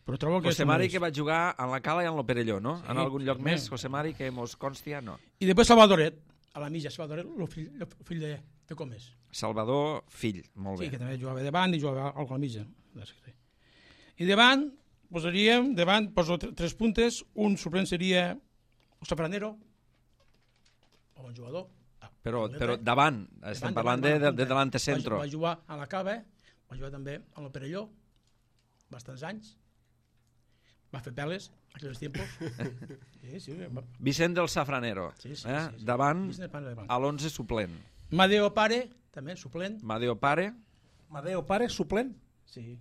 però trobo que... José s'ho Mari mereix. que va jugar en la Cala i en lo Perelló, no? Sí, en algun lloc home. més, José Mari, que mos constia, no. I després Salvadoret. a la mitja Salvador, el fill, el fill de, de Comes. Salvador Fill, molt Sí, bé. que també jugava davant i jugava al a la mitja. I davant, posaríem, davant, poso tre- tres puntes, un suplent seria el Safranero, o un jugador. Ah, Però, també, però eh? davant, estem Davant, parlant davant, de, de, davant, de delante Va, centro. va jugar a la Cava, va jugar també a la Perelló, bastants anys. Va fer peles, aquells tiempos. Sí, sí, va... Vicent del Safranero, Sí, sí, eh? sí, sí. davant Vicent del Safranero, davant. a l'onze suplent. Madeo Pare, també, suplent. Madeo Pare, Madeo Pare, suplent. Sí.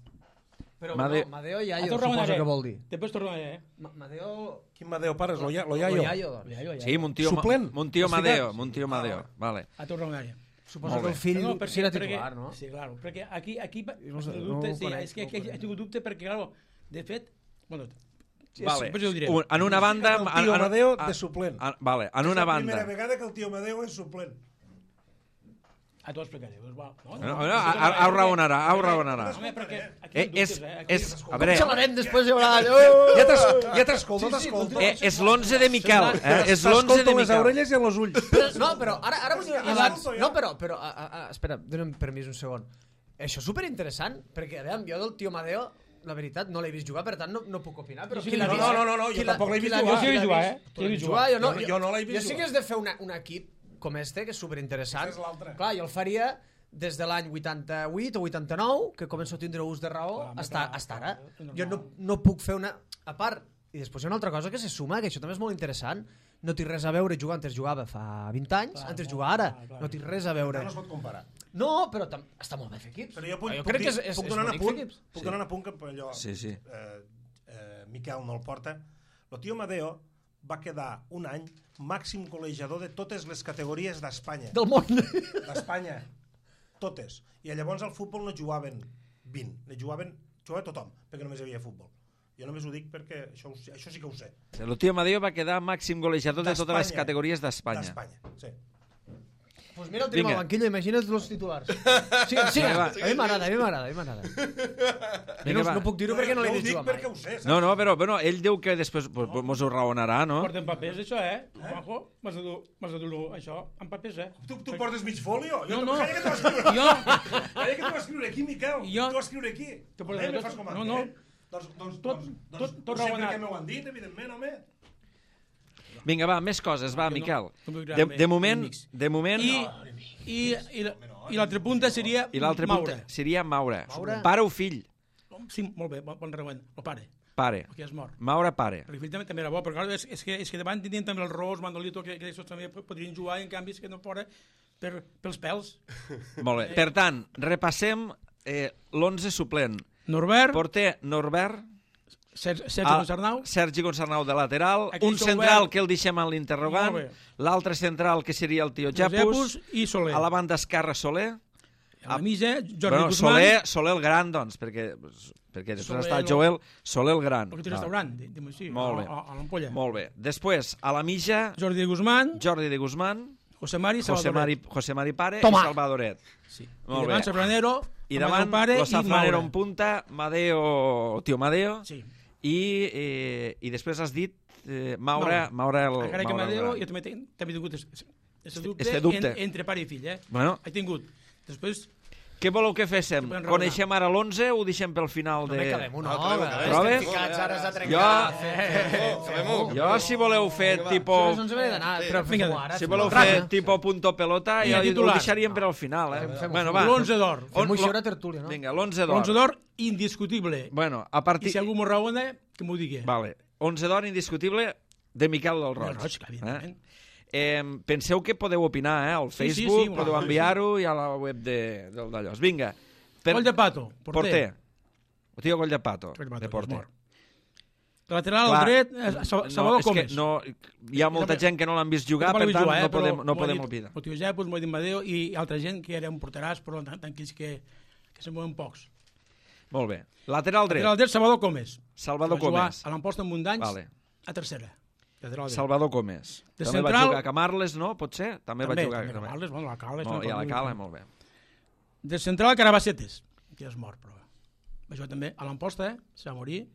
Però Made- no, Madeo i A Yayo, Torre suposo Manera. que vol dir. Després torno a... Eh? Ma- Madeo... Quin Madeo Pare és? Lo, ya, lo O Yayo. Yayo, doncs. Ja, ja, ja. sí, Montío, Suplent, Montío has ficat? Madeo, Montío Madeo, vale. A Torre Manera. Suposo Molt que el bé. fill No, sí era titular, perquè, no? Sí, claro, perquè aquí, aquí va- No sé, he tingut no dubte, ho sí, conec, és que no ho aquí he conec. tingut dubte perquè, claro, de fet, bueno, sí, Vale. després ho diré. Un, en una banda... El en- tio en- Amadeo en- de suplent. en- Vale, en És una la banda... primera vegada que el tio Amadeo és suplent. Ah, t'ho explicaré. Doncs, va. No, No, no, a- a- ho raonarà, ho raonarà. Home, perquè aquí Eh, hi ha és, dubtes, eh? Aquí és, hi ha a veure, Xalarem, després hi haurà... Ja t'es- ja t'escolto, t'escolto. eh, és l'onze de Miquel, eh? és l'onze de T'escolto les Miquel. orelles i els ulls. Però, no, però ara, ara vull dir Ja abans... surto, ja. No, però, però a, a, a, espera, dona'm permís un segon. Això és superinteressant, perquè, a veure, jo del tio Madeo, la veritat, no l'he vist jugar, per tant, no, no puc opinar, però Sí, qui l'ha no, vist? no, no, no, jo Qui l'ha- tampoc l'he qui vist l'ha jugar. Jo sí l'he qui l'ha vist jugar, vist? eh? Tu Sí l'he l'has vist vist jugar. Jo no, Jo- jo no l'he vist Jo sí que jugar. has de fer una, un equip com este, que és superinteressant. Aquest és l'altre. Clar, jo el faria des de l'any vuitanta-vuit o vuitanta-nou, que començo a tindre ús de raó, Clar, hasta, clar, hasta clar, ara. és normal. Jo no, no puc fer una... A part, i després hi ha una altra cosa que se suma, que això també és molt interessant, no té res a veure jugar, antes jugava fa vint anys, Clar, antes molt, jugar ara, clar, clar. no té res a veure. No es pot comparar. No, però tam- està molt bé fer equips. Però jo puc, jo puc, crec dir, que és, és, puc és donar un bonic fer apunt, equips. puc Sí. donar un apunt que allò, Sí, sí. Eh, eh, Miquel no el porta. El tio Amadeo va quedar un any màxim golejador de totes les categories d'Espanya. Del món. D'Espanya. Totes. I llavors al futbol no jugaven vint, ne jugaven, jugava tothom, perquè només hi havia futbol. Jo només ho dic perquè això, ho sé- això sí que ho sé. El tio Amadeo va quedar màxim golejador de totes les D'Espanya. categories d'Espanya. D'Espanya, sí. Pues mira, el tenim Vinga. al banquillo, imagina't els titulars. Sí, sí, Vinga, va. a mi m'agrada, a mi m'agrada, a mi m'agrada. Jo Vinga, no, va. no puc dir-ho perquè no l'he jo ho vist dic jugar mai. perquè ho sé, saps? No, no, però bueno, ell diu que després pues, pues, mos ho raonarà, no? Porten papers, això, eh? Juanjo, m'has de dur, m'has de dur això amb papers, eh? Tu, tu portes mig folio? Jo, No, no. Calla que t'ho vas escriure. Jo... Calla que t'ho vas escriure aquí, Miquel. Jo- T'ho vas escriure aquí. Tu portes Eh, me tot- fas com a no, mi, no. eh? Doncs, doncs, Tot- doncs, tot- doncs, tot ho sé raonat. perquè m'ho han dit, evidentment, home. Vinga, va, més coses, va, Jo no- Miquel. no m'ho De, agrada de més, moment, enemics. de moment... I, i, i, la- i l'altra punta seria I l'altre punt Maure. seria Maure. Maure. Pare o fill? Sí, molt bé, bon, bon reuent. El pare, Pare. que és mort. Maure pare. Perquè el fill també, també era bo, però clar, és, és, que, és que davant tenien també el Ros, Mandolito, que, que aquests també podrien jugar, i en canvi és que no fora per, pels pèls. Molt bé. Per tant, repassem eh, l'onze suplent. Norbert, Porter Norbert, Sergi, Sergi a- Concernau, Sergi Concernau de lateral, Aquí un s'ha central obert. que el deixem en l'interrogant, Molt bé. l'altre central que seria el tio Japus, Japus i Soler. a la banda esquerra Soler, A la mitja, Jordi bueno, Guzmán, Soler, Soler el gran, doncs, perquè, perquè després Soler està el- Joel, Soler el gran. perquè té Va, restaurant, diguem així, Molt bé. a, a, a l'Ampolla. Molt bé. Després, a la mitja, Jordi Guzmán, Jordi de Guzmán, José Mari, José Salvadoret. Mari, José Mari Pare Toma. i Salvadoret. Sí. Molt I davant bé. Safranero, I Amadeo davant, Pare Los i Safranero en Maure. punta, Madeo, tio Madeo, Sí. i, eh, i després has dit eh, Maure, Maure el... Encara que Maure el Amadeo, gran. jo també, tenc, també he tingut aquest dubte, Este dubte. En, entre pare i fill, eh? Bueno, He tingut. Després, què voleu que féssim? Sí, podem raonar. Coneixem ara l'onze o ho deixem pel final de... No me quedem una No, hora. acabem, acabem. Trobes? Estem ficats, ara s'ha Jo, trencat. Fem-ho. jo si voleu fer tipo... Però no ens hem d'anar, però Vinga, fem-ho ara. Si fem-ho voleu ara. fer tipo punto pelota, Vinga, ja ho titular. deixaríem per al final, eh? Fem-ho, Bueno, fem-ho. va. l'onze d'or. On- Fem-ho lo- això a tertúlia, no? Vinga, l'onze d'or. L'onze d'or, indiscutible. Bueno, a I partir... si algú m'ho raona, que m'ho digui. Vale. onze d'or indiscutible de Miquel del Roig. Del Roig, clar, evidentment. Eh? Eh, penseu que podeu opinar, eh? Al Sí, sí, Facebook, sí, podeu sí, sí. enviar-ho i a la web de, del d'allòs. Vinga. Coll de Pato, porter. Porter. O tio Coll de Pato, Coll de Pato, de porter. és mort. Lateral Clar, al dret, eh, Sa- Salvador és que Comes. no, hi ha molta També- gent que no l'han vist jugar, Tampoc per l'he vist tant jugar, eh, no però podem, no m'ho ha podem dit opinar. El tio Japus, m'ho ha dit Madeo, i altra gent que era un porteràs, però tan, tranquils que, que se'n mouen pocs. Molt bé. Lateral dret, Lateral dret, Salvador Comes. Salvador Va jugar Comes. a l'Amposta amb un d'anys, Vale. a tercera. Lateral dret. Salvador Comes. De també va central- jugar a Camarles, no? Pot ser? També, va jugar. també, també. Carles, bueno, la Carles, Molt, I a la Cala, molt bé. De central, Carabacetes, que ja és mort, però va jugar també a l'Amposta, eh? se va morir.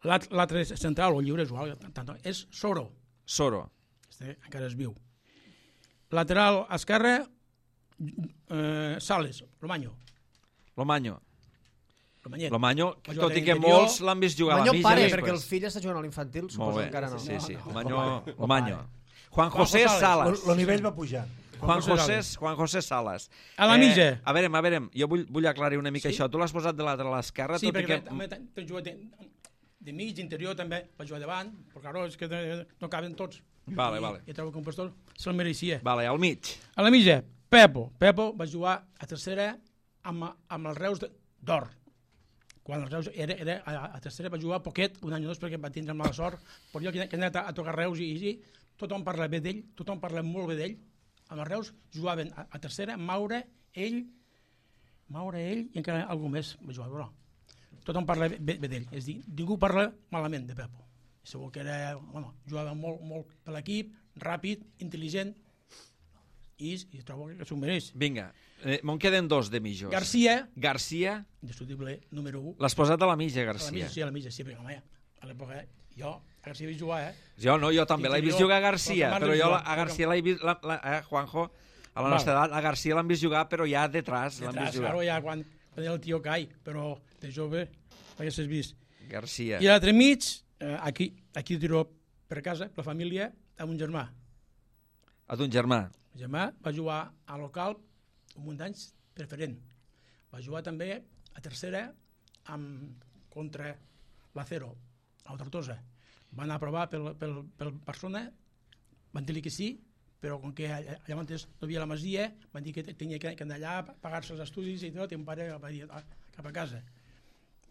L'alt- L'altre central, o lliure, és igual, tant, és Soro. Soro. Este encara és viu. lateral esquerre, eh, Sales, Lomaño. Lomaño. Lomanyet. Lomaño, Va jugar tot i que d'interior. molts l'han vist jugar a la Lomaño mitja pare, després. perquè el fill està jugant a l'infantil, Molt suposo bé, encara no. sí, sí. No, no, Lomaño, no, no, Lomaño. Juan Juan José José Salas. El nivell va pujar. Juan José José, Salas. Juan José Salas. A la mitja. Eh, a veure, a veure, jo vull, vull aclarir una mica Sí? això. Tu l'has posat de lateral a l'esquerra, Sí, tot i perquè que... també t'he jugat de, de mig, d'interior també, va jugar davant, però claro, és que no caben tots. Vale, I, vale. I trobo que un pastor se'l mereixia. Vale, al mig. A la mitja, Pepo. Pepo va jugar a tercera amb, amb els Reus d'Or. Quan els Reus era, era a, a tercera va jugar poquet, un any o dos, perquè va tindre mala sort, però jo que he anat a, a tocar Reus i, i tothom parla bé d'ell, tothom parla molt bé d'ell. Amb els Reus jugaven a, a tercera, Maure, ell, Maure, ell i encara algú més va jugar, però tothom parla bé, bé d'ell. És a dir, ningú parla malament de Pepo. Segur que era, bueno, jugava molt, molt per l'equip, ràpid, intel·ligent, i, i trobo que s'ho mereix. Vinga, eh, me'n queden dos de mitjos. Garcia, Garcia, indiscutible, número un. l'has posat a la mitja, A la Garcia. mitja, sí, a la mitja, sí, perquè, home, a l'època, jo, a Garcia vaig jugar, eh? Jo no, jo també l'he vist Interior, jugar a Garcia, però que però m'han jo vist la- a jugar. Garcia l'he vist, la, la, eh, Juanjo, a la Val. nostra edat, a Garcia l'han vist jugar, però ja detrás l'han Detrás, vist jugar. claro, ja quan, quan era el tio Cai, però de jove l'haguessis vist. Garcia. I a l'altre mig, eh, aquí, aquí tiro per casa, per la família, amb un germà. A ton germà. El germà va jugar a local un munt d'anys preferent. Va jugar també a tercera amb, contra l'Acero, a Tortosa. Va anar a provar pel, pel, pel Barcelona, van dir que sí, però com que allà allà no hi havia la masia, van dir que tenia que anar allà, pagar-se els estudis i tot, i un pare va dir ah, cap a casa.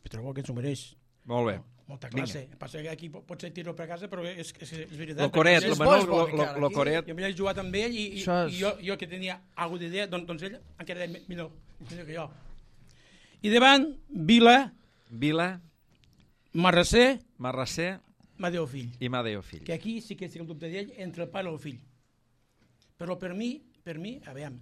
Però trobo que ens ho mereix. Molt bé. Molta classe. Passa que aquí pot ser tiro per casa, però és, és, és veritat. Lo Coret, perquè lo és Manol, bo, lo, és bo, lo, encara, lo aquí. Coret. jo m'he jugat amb ell i, i, Això és- i jo, jo que tenia alguna d'idea, doncs, doncs ell encara era millor, millor que jo. I davant, Vila, Vila, Marrasser, Marrasser Madeo Fill. i Madeo Fill. Que aquí sí que estic el dubte d'ell entre el pare i el fill. Però per mi, per mi, a veure,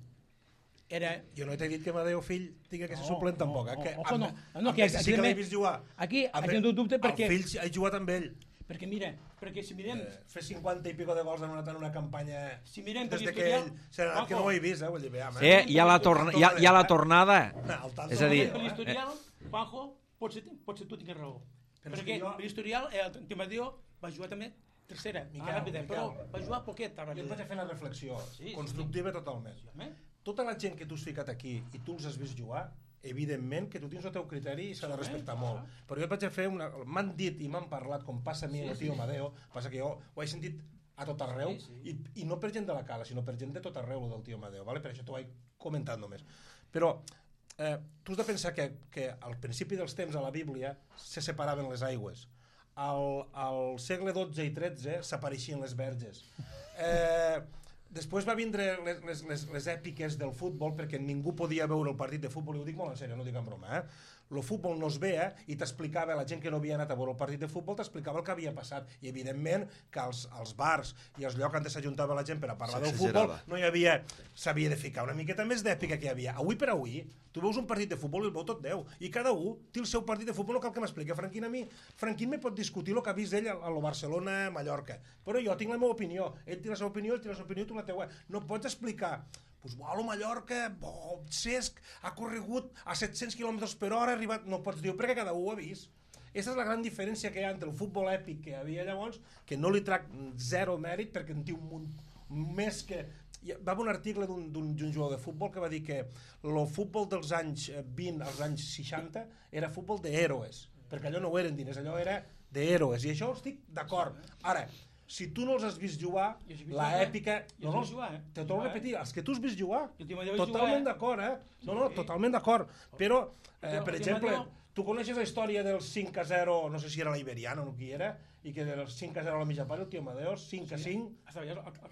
era... Jo no t'he dit que Madeo Fill tingui que ser No, suplent tampoc, eh? no, Que ojo, amb- no. No, amb que Messi sí que l'he evidentment- vist jugar. Aquí, Amb aquí no tinc dubte perquè... El fill sí, he jugat amb ell. Perquè mira, perquè si mirem... Eh, fer cinquanta i pico de gols en una, en una campanya Si mirem per des de que historial, ell s'ha anat, que no ho he vist, eh? Vull dir, veam, Sí, hi ha la, torna, hi ha, hi ha la tornada. El tanto És a dir, Per l'historial, Juanjo, potser, potser tu tingues raó. Però és Perquè que jo- per l'historial, el Timadeo va jugar també tercera, Miquel, a ràpida, però Miquel. va jugar poquet a Jo et vaig ràpida. fer una reflexió Sí, sí. constructiva totalment. Eh? Tota la gent que tu has ficat aquí i tu els has vist jugar, evidentment que tu tens el teu criteri i s'ha de respectar molt. Però jo et vaig a fer una... M'han dit i m'han parlat, com passa a mi, el tio Madeo, passa que jo ho he sentit a tot arreu, i, i no per gent de la cala, sinó per gent de tot arreu, el del tio Madeo, vale? Per això t'ho he comentat només. Però eh, tu has de pensar que, que al principi dels temps a la Bíblia se separaven les aigües. Al, al segle dotze i tretze s'apareixien les verges. Eh, després va vindre les, les, les, les èpiques del futbol, perquè ningú podia veure el partit de futbol, i ho dic molt en sèrio, no ho dic en broma, eh? El futbol no es veia i t'explicava, la gent que no havia anat a veure el partit de futbol t'explicava el que havia passat, i evidentment que als, als bars i als llocs on s'ajuntava la gent per a parlar del futbol S'exagerava. no hi havia, s'havia de ficar una miqueta més d'èpica que hi havia. Avui per avui, tu veus un partit de futbol i el veu tot Déu, i cada un té el seu partit de futbol, no cal que m'expliqui. Franquín a mi, Franquín me pot discutir el que ha vist ell a a lo Barcelona, a Mallorca, però jo tinc la meva opinió, ell té la seva opinió, ell té la seva opinió, tu la teua. No pots explicar, pues, uau, el Mallorca, bo, Cesc, ha corregut a set-cents quilòmetres per hora, ha arribat... No pots dir, perquè cada un ho ha vist. Aquesta és la gran diferència que hi ha entre el futbol èpic que hi havia llavors, que no li trac zero mèrit, perquè en té un munt més que... Hi va haver un article d'un d'un jugador de futbol que va dir que el futbol dels anys vint als anys seixanta era futbol d'héroes, perquè allò no ho eren diners, allò era d'héroes, i això estic d'acord. Ara, si tu no els has vist jugar, Jo sí he vist la jugar, eh? èpica... Jo sí he vist jugar, eh? Te torno a repetir, els que tu has vist jugar, Jo t'hi vaig jugar, totalment eh? d'acord, eh? No, no, totalment d'acord. Però, eh, Jo- per jo exemple, Mateo- tu coneixes la història del cinc a zero, no sé si era la Iberiana o qui era, i que del cinc a zero a la mitja part el tio Amadeo, cinc a cinc,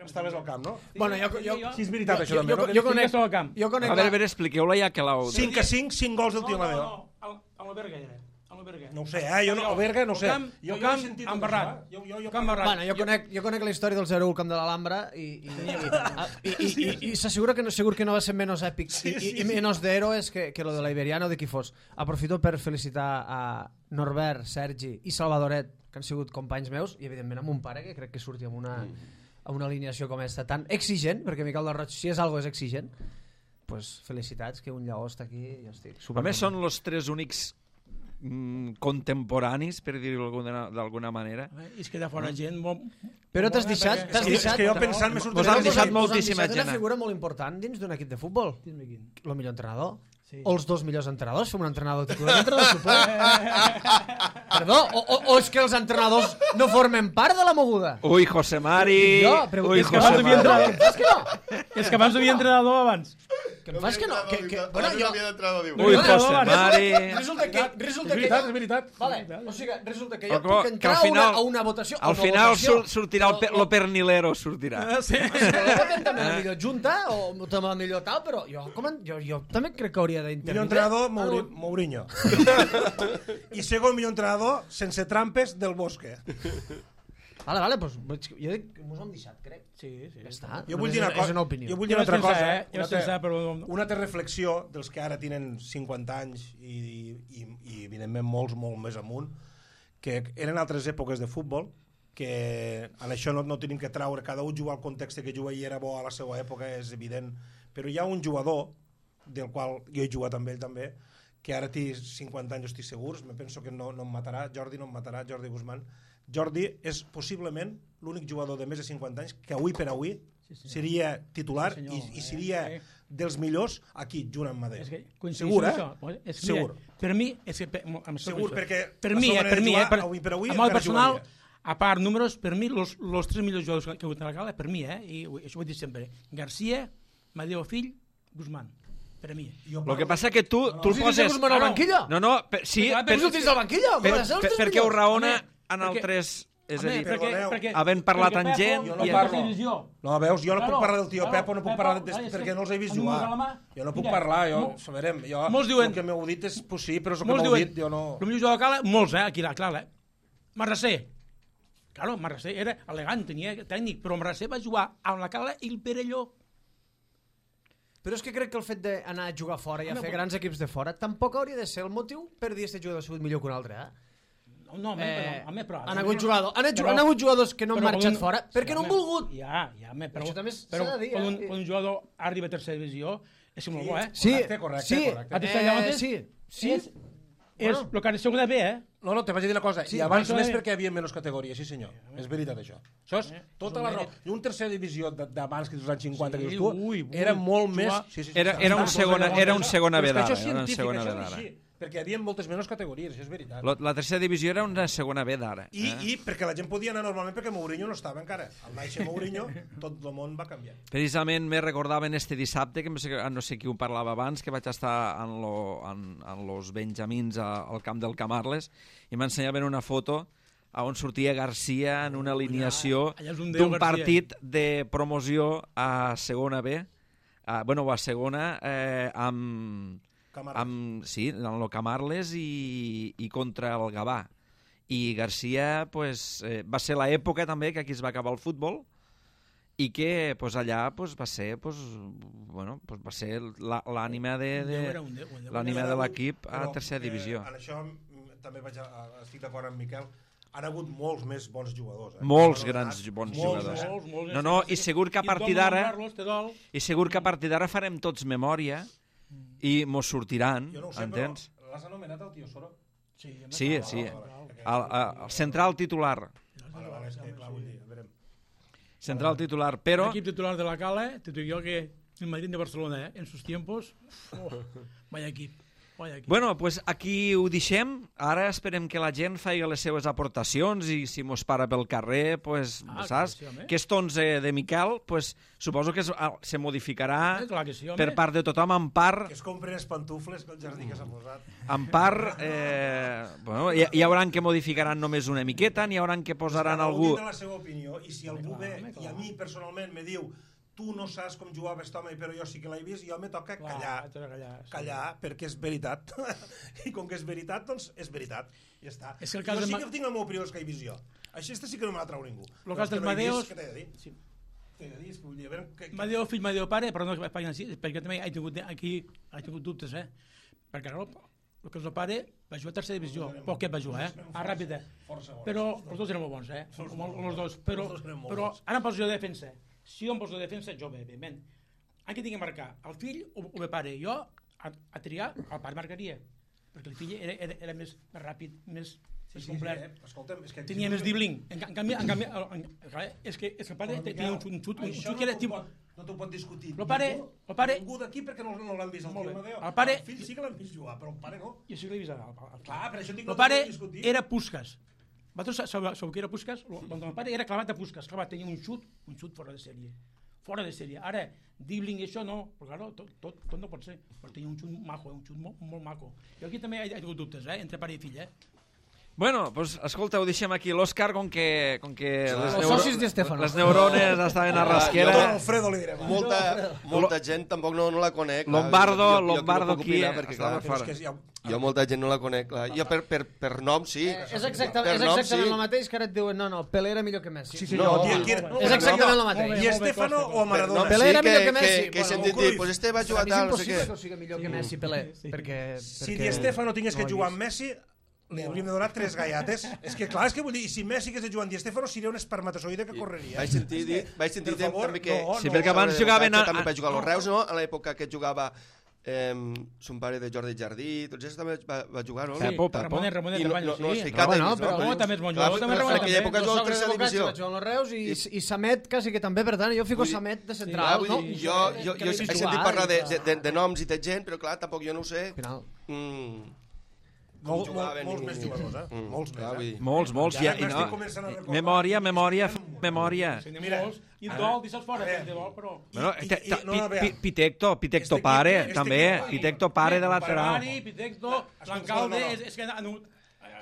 estaves al camp, no? Bueno, jo, jo, Sí, és veritat, això jo, també, jo, no? jo, conec, al camp. jo conec A veure, a la- veure, expliqueu-la ja que l'heu... cinc a cinc, cinc gols del No, tio no, Amadeo. no, al, al Alberga era. A l'Alberga. No ho sé, eh? Jo no, a Berga no ho sé. Al camp, Jo, al jo he camp sentit tot embarrat. això, eh? Jo, jo, jo, Camp embarrat. Bueno, jo, conec, jo conec la història del zero u al Camp de l'Alhambra i, i, i, i, i, i s'assegura que, no, segur que no va ser menys èpic Sí, i, sí, i, i menys d'héroes que, que lo de la Iberiana o de qui fos. Aprofito per felicitar a Norbert, Sergi i Salvadoret, que han sigut companys meus, i evidentment amb un pare que crec que surti amb una, a una alineació com aquesta, tan exigent, perquè Miquel del Roig, si és algo és exigent, pues felicitats que un lleó està aquí i jo estic super. A més, són els tres únics mm, contemporanis, per dir-ho d'alguna manera. És que de fora gent... Molt... Però t'has deixat... T'has És deixat... que jo pensant me Vos sortirà... han deixat moltíssima gent. gent. Una figura molt important dins d'un equip de futbol. El millor entrenador. Sí. O els dos millors entrenadors. Fem un entrenador titular i un entrenador suplent. Perdó, o, o, o és que els entrenadors no formen part de la moguda? Ui, José Mari... Jo, però Ui, és que José abans havia Mari. entrenador. És que no. És que abans havia entrenador abans. Que em fas que no? Que, que, bueno, no jo... havia d'entrenador, diu. Ui, José Mari... Resulta que... Resulta És que veritat, jo... és veritat. Vale, o sigui, resulta que jo Però puc que entrar al final- a, una, a una votació... Al a una final votació, sur- sortirà el, pe- lo pernilero, sortirà. Sí. Però voten també la millor junta o també la millor tal, però jo, com en, jo, jo també crec que hauria d'intervenir. Millor entrenador, Mouri, Mourinho. I segon millor entrenador, sense trampes, del Bosque. Vale, vale, doncs jo dic que mos ho hem deixat, crec. Sí, sí. Ja està. Jo vull Només dir una és- cosa. És una opinió. Jo vull Jo dir una vaig altra pensar, cosa. eh? Jo Una vaig pensar, altra, però... una altra reflexió dels que ara tenen cinquanta anys i, i, i evidentment molts molt més amunt, que eren altres èpoques de futbol, que en això no, no tenim que traure, cada un juga al context que juga i era bo a la seva època, és evident, però hi ha un jugador, del qual jo he jugat amb ell també, que ara té cinquanta anys, estic segurs, me penso que no, no em matarà, Jordi no em matarà, Jordi Guzmán. Jordi és possiblement l'únic jugador de més de cinquanta anys que avui per avui sí, sí. seria titular sí, i, i seria eh, dels millors aquí, junt amb Madrid. És que Segur, eh? Això. És, Segur. Mira, per mi... És que, per, amb Segur, això. perquè per la mi, seva eh, per manera de mi, jugar, eh, per, avui per avui amb el encara personal, jugaria. a part números, per mi, los, los tres millors jugadors que he hagut a la gala, per mi, eh, i això ho he dit sempre, García, Madeo Fill, Guzmán. Per mi. Lo que passa que tu, tu el Si tens poses... Guzmán al banquillo? No, no, per, sí, Però, per, Però si tens al banquillo? per, Com és els per, tres perquè ho millors? raona Home, en perquè- altres... És a Home, dir, perquè, perdoneu, perquè, havent parlat perquè amb Pepo, gent Jo no i- parlo. televisió. No, veus, jo no Claro, puc parlar del tio claro, Pepo, no puc Pepo, parlar de, clar, és perquè que no els he vist amb jugar. números a la mà, Jo no puc mira, parlar, jo, mo- saberem, jo, molts diuen- el que m'heu dit és possible, però el que Molts m'heu diuen, dit jo no... el millor jugador de cala, molts, eh, aquí, clar, eh. Marrasser. Claro, Marrasser era elegant, tenia tècnic, però Marrasser va jugar amb la cala i el Perelló. Però és que crec que el fet d'anar a jugar fora i a Home, fer però- grans equips de fora tampoc hauria de ser el motiu per dir que este jugador ha sigut millor que un altre, eh? No, no, home, Eh, però, home, però... han hagut jugadors, han, però- han hagut jugadors que no han però marxat un- fora perquè no han home, volgut. Ja, ja, home, però, Això també s'ha però de dir, quan, eh? un, quan un jugador arriba a tercera divisió és molt bo, eh? Sí, Correcte, correcte, sí, correcte. A tercera llavors sí, sí. És, és Bueno. el que ha de segona B, eh? No, no, te vaig a dir una cosa. Sí, I abans això més és- perquè hi havia menys categories, sí senyor. És veritat això. Això és tota la raó. I un tercera divisió de- d'abans que dels anys cinquanta que Sí, dius tu, ui, ui, era molt més... jugar- Sí, sí, sí, Era, sí, era, un sí, segona, sí, era un segona Però és B que d'ara. això és Era un científic, segona B això és d'ara. així, perquè hi havia moltes menys categories, això és veritat. La, la tercera divisió era una segona B d'ara. I, Eh? I perquè la gent podia anar normalment perquè Mourinho no estava encara. Al néixer Mourinho, tot el món va canviar. Precisament me recordaven este dissabte, que no sé, no sé qui ho parlava abans, que vaig estar en, lo, en, en los Benjamins a, al camp del Camarles i m'ensenyaven una foto on sortia Garcia en una alineació allà és un déu, d'un Garcia. partit de promoció a segona B, a, bueno, a segona, eh, amb, Camarles. amb, sí, en el Camarles i, i contra el Gavà. I Garcia pues, eh, va ser l'època també que aquí es va acabar el futbol i que pues, allà pues, va ser pues, bueno, pues, va ser la- l'ànima de, Un de, déu era un déu, un déu. l'ànima de l'equip a Però, tercera eh, divisió. En això mm, també vaig a, a, estic d'acord amb Miquel. Han hagut molts més bons jugadors. Eh? Molts S'han grans anomenat, bons molts, jugadors. eh? Molts, molts, No, no, i segur que a I partir dol d'ara nombrar-los, te dol. i segur que a partir d'ara farem tots memòria i mos sortiran, Jo no ho sé, entens? però l'has anomenat el tio Soro? Sí, home, Sí, clar, sí. clar, clar. El, el, el central titular. Vale, vale, és que, clar, vull dir, a veure. Central titular, però... L'equip titular de la Cala, te digo yo que el Madrid de Barcelona, ¿eh? En sus tiempos, oh, vaya equip, vaya equip. Bueno, pues aquí ho deixem. Ara esperem que la gent faci les seves aportacions i si mos para pel carrer, pues, Ah, saps? clar que sí, home. Aquest onze de Miquel, pues, suposo que es, ah, se modificarà Eh, clar que sí, home. per part de tothom, en part, Que es compren els pantufles que el jardí que s'ha posat. en part eh, bueno, hi, hi hauran que modificaran només una miqueta, n'hi hauran que posaran Cada un algú... tindrà la seva opinió, i si algú ve home, clar. i a mi personalment me diu tu no saps com jugava aquest home, però jo sí que l'he vist, jo me toca Clar, callar, haig de callar, sí. callar, perquè és veritat. I com que és veritat, doncs és veritat. Ja està. És que el cas jo de sí Ma- que tinc la meva opinió dels que he vist jo. Això este sí que no me la trau ningú. Lo Però cas els que dels no he vist, Madeos- Què t'he de dir? Sí. T'he de dir, és que vull dir, a veure... Que, que... Madeo fill, Madeo pare, però no que paguen així, perquè també he tingut, aquí he tingut dubtes, eh? Perquè, clar, el que és el pare va jugar a tercera divisió, poquet va jugar, eh? Ah, ràpid, eh? Però els dos eren molt bons, eh? Els dos, però, però ara em poso de defensa. Si jo em poso de defensa, jo bé, evidentment. En què tinc que marcar? El fill o el pare? Jo, a, a triar, el pare marcaria, perquè el fill era, era, era més, més ràpid, més, més complet. Tenia més dribbling. En, en canvi, en canvi en, en, és, que, és que el pare tenia un xut, un xut, un xut que era tipus... No t'ho pot discutir. El pare... El pare... Ningú d'aquí perquè no, no l'han vist el tio Amadeo. El pare... El fill sí que l'han vist jugar, però el pare no. Jo sí que l'he vist. El, el, Clar, per això dic el no pare t'ho discutir. era Puskas. Vosaltres sabeu què era Puskas? El pare era clavat a Puskas. Clavat, tenia un xut, un xut fora de sèrie. Fora de sèrie. Ara, dribbling i això no, però claro, tot, tot, tot no pot ser. Però tenia un xut maco, un xut molt, molt maco. I aquí també hi ha hagut dubtes, eh? Entre pare i fill, eh? Bueno, pues, escolta, ho deixem aquí. L'Òscar, com que, com que les, Els neuro... socis de Stefano. les neurones estaven a rasquera... Jo Alfredo li direm. Molta, molta gent tampoc no, no la conec. clar. Lombardo, Jo- jo- jo Lombardo no puc aquí, opinar, perquè, clar, estava fora. És que ja... jo molta gent no la conec. Clar. Jo per, per, per nom, sí. Eh, és exactament, Per és nom, exactament sí. el mateix que ara et diuen no, no, Pelé era millor que Messi. Sí, sí, No, no, no, qui- no, qui- és exactament el no, mateix. I Estefano o Per nom, Maradona? Pelé sí, era millor que que, Messi. que, que he Bueno, sentit Cruyff. dir, pues este va Per jugar mi és tal, no sé impossible què. que ho sigui millor que Messi Pelé, perquè, Si perquè... Di Stefano tingués que no l'he jugar vist. amb Messi, li hauríem de donar tres gallates. És que clar, és que vull dir, i si Messi hagués de jugar amb Di Stefano seria un espermatozoide que correria. Vaig sentir dir, vaig sentir Per favor, també que... no, Sí, perquè abans sobre jugaven a- També va jugar als Reus, no? A l'època que jugava eh, son pare de Jordi Jardí, tots ells també va, va jugar, no? Pepo, Pepo. Ramonet, Ramonet, I no, Ramonet, no, no sí. has ficat No, no, ells, però Ramonet també és bon Clar, jugador, també en Ramonet aquella també. època Los jugava a sogres tercera de Bocaccia divisió. va jugar amb los Reus i, i Samet quasi que també, per tant, jo fico Vull dir- Samet de Clar, central. vull no? dir, jo, jo, Que jo l'he he vist sentit jugar parlar i de, que- de, de, de noms i de gent, però clar, tampoc jo no ho sé. Al final. Mm. Mol, com mol, jugaven molts i- més jugadors, eh? Mm, Molts clar, més, vull eh? dir. Molts, molts. I Ja, ara i m'estic no, començant a recordar. memòria, memòria, memòria. Sí, Mira, molts. I el gol, deixa'ls fora, a veure. de gol, però... Bueno, I- te- i- te- no, no, Pi- vea. Pi- Pitecto, Pitecto Este pare, equip- este també. equip- Pitecto pare de lateral. Ferrari, Pitecto, Lancalde, no, no. és, és que han...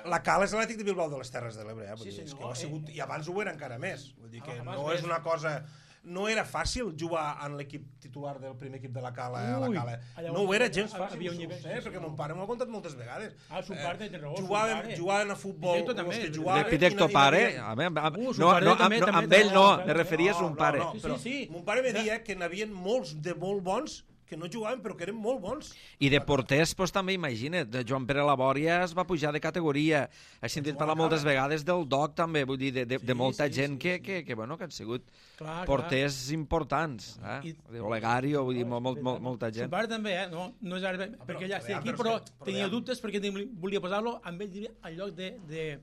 La Cala és l'Atlètic de Bilbao de les Terres de l'Ebre, eh? Vull Sí, dir, és senyor, que ho ha eh? sigut, i abans ho era encara més. Vull dir que Abans no més. és una cosa... No era fàcil jugar en l'equip titular del primer equip de la Cala a la Ui, Cala. allà No on- ho era gens havia fàcil, un ho nivell, sé, sí, perquè sí. mon pare m'ho ha contat moltes vegades. Ah, son pare, té raó, son Jugaven, pare. jugaven a futbol, Pitecto també, els que de jugaven... De Pitecto i no- i pare, no a veure, amb- Uh, son no, pare no, també, amb, no, també amb ell té no, raó, me referia a No, son no, pare. no, Sí, però sí, sí. Mon pare me deia que n'havia molts de molt bons que no jugaven però que eren molt bons. I de porters, doncs, també imagina't, de Joan Pere Labòria es va pujar de categoria. He sentit parlar moltes vegades del Doc, també, vull dir, de, de, de molta sí, gent sí, que, que, que, bueno, que han sigut Clar, porters importants. Eh? I- Olegario, vull dir, molt, molt, molt, molta Son gent. pare també, eh? No, no és ara, perquè ja estic ja, aquí, però però és que- però tenia ja. dubtes perquè tem- volia posar-lo amb ell diria, al lloc de, de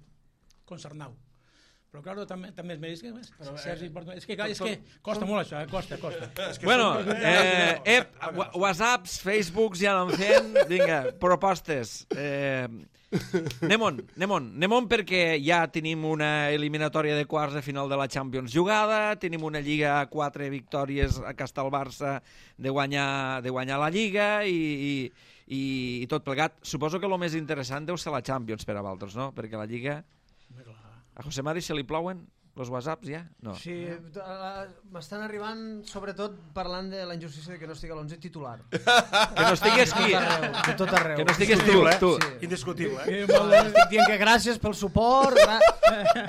Concernau. Però, clar, també, també és més... Que, Sergi, perdó, és que, clar, és que costa molt això, eh? Costa, costa. Bueno, eh, ep, wa- whatsapps, facebooks ja anem fent. Vinga, propostes. Eh, anem-on, anem-on. Anem-on perquè ja tenim una eliminatòria de quarts de final de la Champions jugada, tenim una Lliga a quatre victòries a casa el Barça de guanyar, de guanyar la Lliga i, i, i, i tot plegat. Suposo que el més interessant deu ser la Champions per a vosaltres, no? Perquè la Lliga... A José Mari se li plouen los whatsapps ja? No. Sí, eh, m'estan arribant sobretot parlant de la injustícia de que no estigui a l'onze titular. Que no estigués qui? De tot arreu, de tot arreu. Que no estigués tu, tu. Sí. Indiscutible, eh? Estic dient que gràcies pel suport, gra...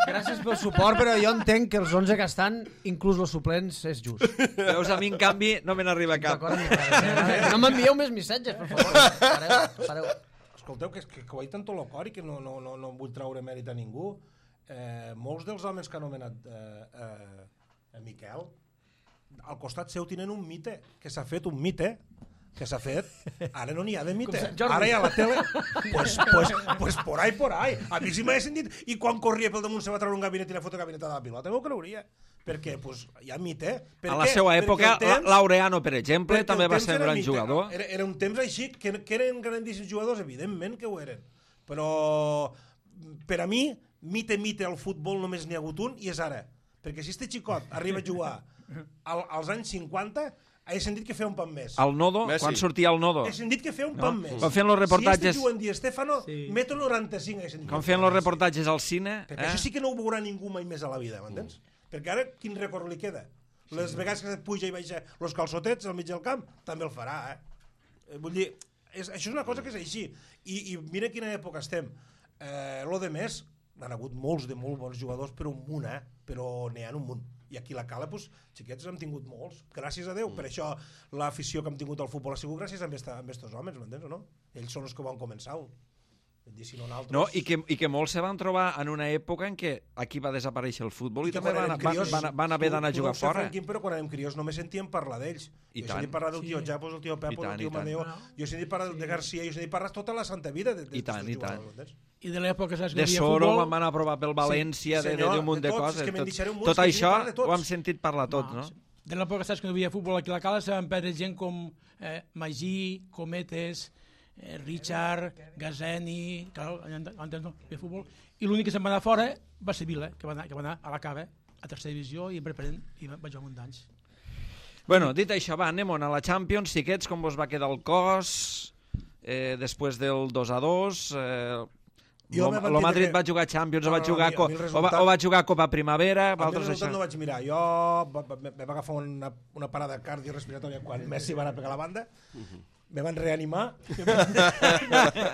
gràcies pel suport, però jo entenc que els onze que estan, inclús els suplents, és just. Veus, a mi, en canvi, no me n'arriba cap. D'acord amb vosaltres, eh? No m'envieu més missatges, per favor. Pareu, pareu. Escolteu, que, que, que ho ha dit tant tot el cor i que no, no, no, no vull treure mèrit a ningú. Eh, molts dels homes que ha anomenat eh, eh, a Miquel al costat seu tenen un mite que s'ha fet, un mite que s'ha fet, ara no n'hi ha de mite, ara hi ha la tele, pues, pues, pues por ahí, por ahí, a mi sí m'ha sentit, i quan corria pel damunt se va treure un gabinet i la foto gabinetada de la pilota, m'ho creuria, perquè pues, hi ha mite. Per A la què? seva Perquè època, el temps- Laureano, per exemple, perquè també el va temps ser un era gran mite. jugador. Era, era un temps així, que, que eren grandíssims jugadors, evidentment que ho eren, però per a mi, mite, mite, al futbol només n'hi ha hagut un, i és ara. Perquè si este xicot arriba a jugar al, als anys cinquanta, he sentit que feia un pan més. Al Nodo, Messi. quan sortia el Nodo. He sentit que feia un pan més. Quan feien los reportatges- Si este juguen Di Stefano, Sí. metro noranta-cinc, he sentit. Quan que feien feia els més. reportatges al cine... Perquè Eh? això sí que no ho veurà ningú mai més a la vida, m'entens? Perquè ara, quin rècord li queda? Les vegades que puja i baixa els calçotets al mig del camp, també el farà, eh? Eh, Vull dir, és, això és una cosa que és així. I, i mira quina època estem. Eh, lo de més, han hagut molts de molt bons jugadors, però un munt, eh? Però n'hi ha un munt. I aquí a la Cala, doncs, xiquets, hem tingut molts. Gràcies a Déu. Per això l'afició que hem tingut al futbol ha sigut gràcies a aquests homes, m'entens o no? Ells són els que ho van començar. Si no, nosaltres... No, i que, i que molts se van trobar en una època en què aquí va desaparèixer el futbol i, i també van, crios, van, van, van haver d'anar a jugar tu, tu fora. Franquín, però quan érem crios només sentíem parlar d'ells. I jo he tant. sentit parlar del tio Sí. Japos, el tio Pepo, tant, el tio i tant. Madeo, jo he sentit parlar de Garcia, jo he sentit parlar tota la santa vida de, de, I tant, i tant. I de l'època, saps, que De hi havia Soro futbol... quan van aprovar pel València, Sí, de, senyor, de, de un munt de de tots, coses. és que me'n Tot, deixaré un munt, tot és que això jo parlo de tots. ho hem sentit parlar tots, no? De l'època, saps, que no hi havia futbol aquí a la Cala, se van perdre gent com eh, Magí, Cometes, eh, Richard, Gazeni... Clar, antes no hi havia futbol. I l'únic que se'n va anar fora va ser Vila, que va anar, que va anar a la Cava, a tercera divisió, i en preparent, i va jugar un d'anys. Bueno, dit això, va, anem a la Champions. Xiquets, com vos va quedar el cos eh, després del dos a dos? Eh, Jo lo, me van lo dir Madrid que- va jugar Champions, No, o va no, jugar, a mi- a co- mi el o, va, resultat- o va jugar Copa Primavera, A mi el vosaltres resultat això. no vaig mirar. Jo va, va, me va agafar una, una parada cardiorespiratòria quan Messi va anar a pegar la banda. Me van reanimar.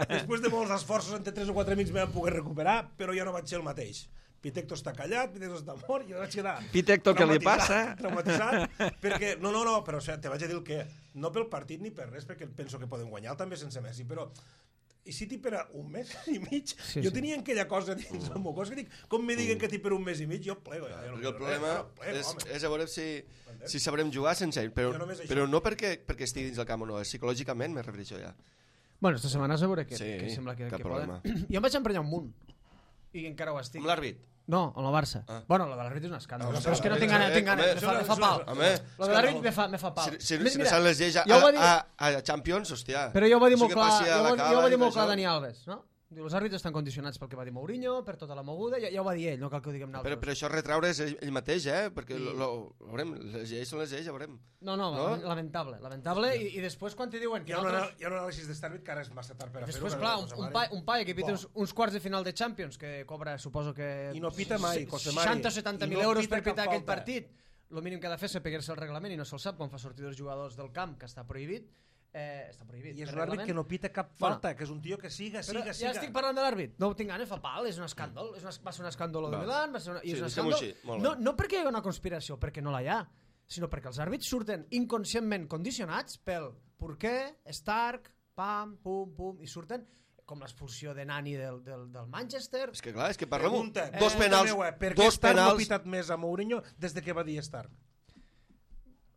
Després de molts esforços, entre tres o quatre amics me van poder recuperar, però ja no vaig ser el mateix. Pitecto està callat, Pitecto està mort, i jo vaig quedar... Pitecto, què li traumatitzat, passa? Traumatitzat, perquè... No, no, no, però o sigui, te vaig a dir el què. No pel partit ni per res, perquè penso que poden guanyar també sense Messi, però... I si t'hi per un mes i mig, Sí, jo sí. tenia aquella cosa dins el meu cos que dic, com me diguen que t'hi per un mes i mig, jo plego. Ja, jo no Perquè el quiero problema res, jo plego, és, home. és a veure si, si sabrem jugar sense ell, però, Jo només això. però no perquè, perquè estigui dins el camp o no, és psicològicament me refereixo ja. Bueno, esta setmana a veure que, Sí, que sembla que, cap que problema. poden. Jo em vaig emprenyar un munt. I encara ho estic. Amb l'àrbit. No, amb el Barça. Ah. Bueno, lo de l'àrbit és un escàndol. Ah, Però és que no tinc eh, ganes, tinc ganes, home, me fa, me fa això pal. és- Home, Lo de l'àrbit me fa, me fa pal. si, si, Més, si mira, no se'n les lleis a, ja ho va dir- a, a, a Champions, hòstia. Però jo ho va dir Això molt que clar, passi a jo, la ho- cala jo ho va i dir molt això. clar Dani Alves, no? Diu, els àrbitres estan condicionats pel que va dir Mourinho, per tota la moguda, ja, ja ho va dir ell, no cal que ho diguem Però, nosaltres. però això retraure és ell, ell mateix, eh? Perquè lo, lo, lo veurem, les lleis són les lleis, ja veurem. No, no, No? lamentable, lamentable, i, i després quan te diuen que Hi ha, una, nosaltres... hi ha un anàlisi d'estàrbit que ara és massa tard per a fer-ho. Després, que clar, no un, cosa un, mare. pa, un paio que pita Bo. uns, uns quarts de final de Champions, que cobra, suposo que... I no pita mai, José Mari. seixanta o setanta mil I no euros pita per pitar cap aquell falta. partit. El mínim que ha de fer és pegar-se el reglament i no se'l sap quan fa sortir els jugadors del camp, que està prohibit. Eh, està prohibit. I és per un àrbit reglament. que no pita cap Bueno. falta, que és un tio que siga, Però siga, ja siga. estic parlant de l'àrbit. No ho tinc ganes, fa pal, és un escàndol. És una, va ser un escàndol de Va. Milan, va ser una, i Sí, és un deixem-ho escàndol. així, molt No, bé. no perquè hi ha una conspiració, perquè no la hi ha, sinó perquè els àrbits surten inconscientment condicionats pel Porqué, Stark, pam, pum, pum, i surten com l'expulsió de Nani del, del, del Manchester. És que clar, és que parlem Pregunta, dos eh, penals, meu, eh, per què dos Stark no ha penals, pitat més a Mourinho des de que va dir Stark?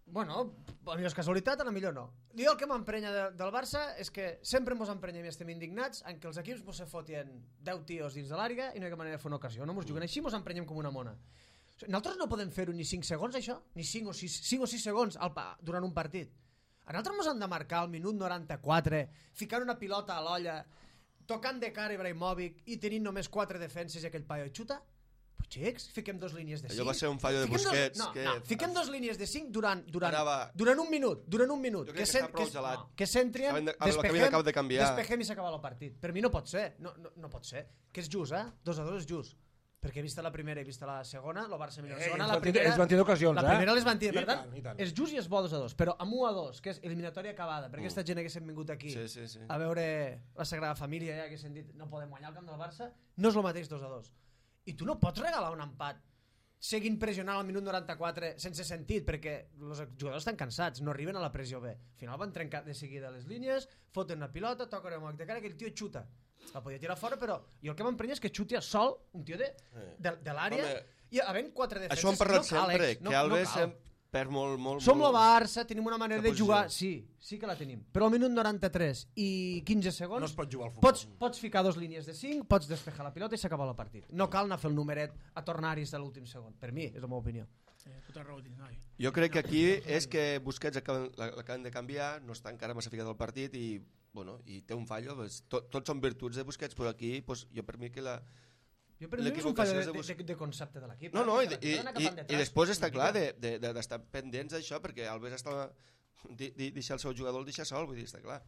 Bueno, a millor és casualitat, a la millor no. Jo el que m'emprenya de, del Barça és que sempre mos emprenyem i estem indignats en que els equips mos se fotien deu tios dins de l'àrea i no hi ha cap manera de fer una ocasió. No mos juguen així, mos emprenyem com una mona. O sigui, nosaltres no podem fer-ho ni cinc segons, això? Ni cinc o sis, cinc o sis segons al, pa- durant un partit. A nosaltres mos han de marcar al minut noranta-quatre, ficant una pilota a l'olla, tocant de cara Ibrahimovic i tenint només quatre defenses i aquell paio xuta? Pues xics, fiquem dos línies de cinc. Allò va ser un fallo de Fiquem dos- Busquets, No, que- no, fiquem dos línies de cinc durant, durant, Anava- durant un minut, durant un minut. Jo crec que cen- està prou es- gelat. no, que s'entrien, Acaben de- a veure, despegem, l'acabem d'acab de canviar. despegem i s'acaba el partit. Per mi no pot ser, no, no, no pot ser. Que és just, eh? Dos a dos és just. Perquè he vist la primera i he vist la segona, el Barça millor la Eh, segona, ells la van tindre- primera... ells van tindre ocasions, la eh? primera les van I tindre, per tant, tant, i tant. és just i és bo dos a dos, però amb un a dos, que és eliminatòria acabada, perquè aquesta gent haguessin vingut aquí Sí, sí, sí. a veure la Sagrada Família i haguessin dit no podem guanyar el camp del Barça, no és el mateix dos a dos. I tu no pots regalar un empat seguint pressionant al minut noranta-quatre sense sentit, perquè els jugadors estan cansats, no arriben a la pressió bé. Al final van trencar de seguida les línies, foten una pilota, toquen el moc de cara, que el tio xuta. La podia tirar fora, però jo el que m'emprenya és que xuti a sol un tio de, de, de l'àrea Home, i havent quatre defenses. Això ho hem parlat no cal, sempre, ex, no, que Alves no cal. em perd molt, molt... Som el molt... Barça, tenim una manera La de jugar... posició. Sí, sí que la tenim. Però al minut noranta-tres i quinze segons... No es pot jugar al futbol. Pots, pots ficar dos línies de cinc, pots despejar la pilota i s'acaba el partit. No cal anar a fer el numeret a tornar-hi de l'últim segon. Per mi, és la meva opinió. Sí, tota raó tens, noi. Jo crec que aquí és que Busquets acaben- l'acaben de canviar, no està encara massa ficat al partit i, bueno, i té un fallo. Pues, tot, tots són virtuts de Busquets, però aquí pues, jo per mi que la... Jo per mi és un L'equivocació fallo és de, de de, de, de concepte de l'equip. No, eh? no, i, Perquè i, l'ha d'anar i, cap i endreç, després una està clar mica. d'estar de, de, d'estar pendents d'això, perquè Alves estava... Di, di, deixar el seu jugador el deixa sol, vull dir, està clar.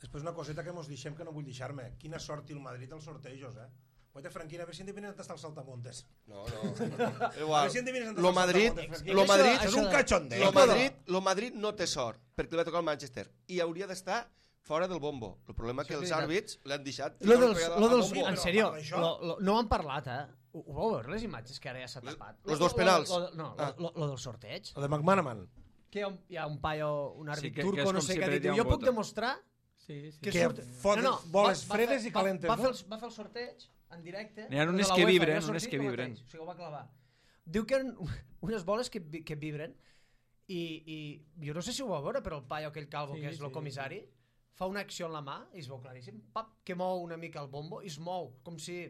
Després una coseta que mos deixem que no vull deixar-me. Quina sort té el Madrid als sortejos, eh? Guaita, Franquina, a veure si endevinen on està el saltamontes. No, no. A Igual. veure si endevinen on està Lo el Madrid, saltamontes, Franquina. lo Això- Madrid, Això és això un de- cachondeo. lo Madrid, lo Madrid no té sort, perquè li va tocar el Manchester, i hauria d'estar fora del bombo. El problema és que Això és els veritat. àrbits l'han deixat... Lo dels, pegat lo al dels, bombo. en però sèrio, a part d'això- lo, lo, no han parlat, eh? Ho, ho vau veure, les imatges que ara ja s'ha tapat? los Lo- dos lo- penals. Lo, lo, no, Ah. lo, lo, lo del sorteig. El de McManaman. Que hi ha un, hi ha un paio, un àrbit Sí, que- que turco, és no com sé si què, perdria diu, un jo puc voto. demostrar Sí, sí. Que surt- fot boles va- va fredes fer- i calentes, va, va, no? fer el, va fer el sorteig en directe. N'hi ha de unes la que UEFA, vibren, i ha sortit unes que el vibren. mateix, O sigui, ho va clavar. Diu que eren unes boles que, vi- que vibren i, i jo no sé si ho va veure, però el paio aquell calvo Sí, que és el sí. comissari fa una acció en la mà i es veu claríssim, pap, que mou una mica el bombo i es mou, com si,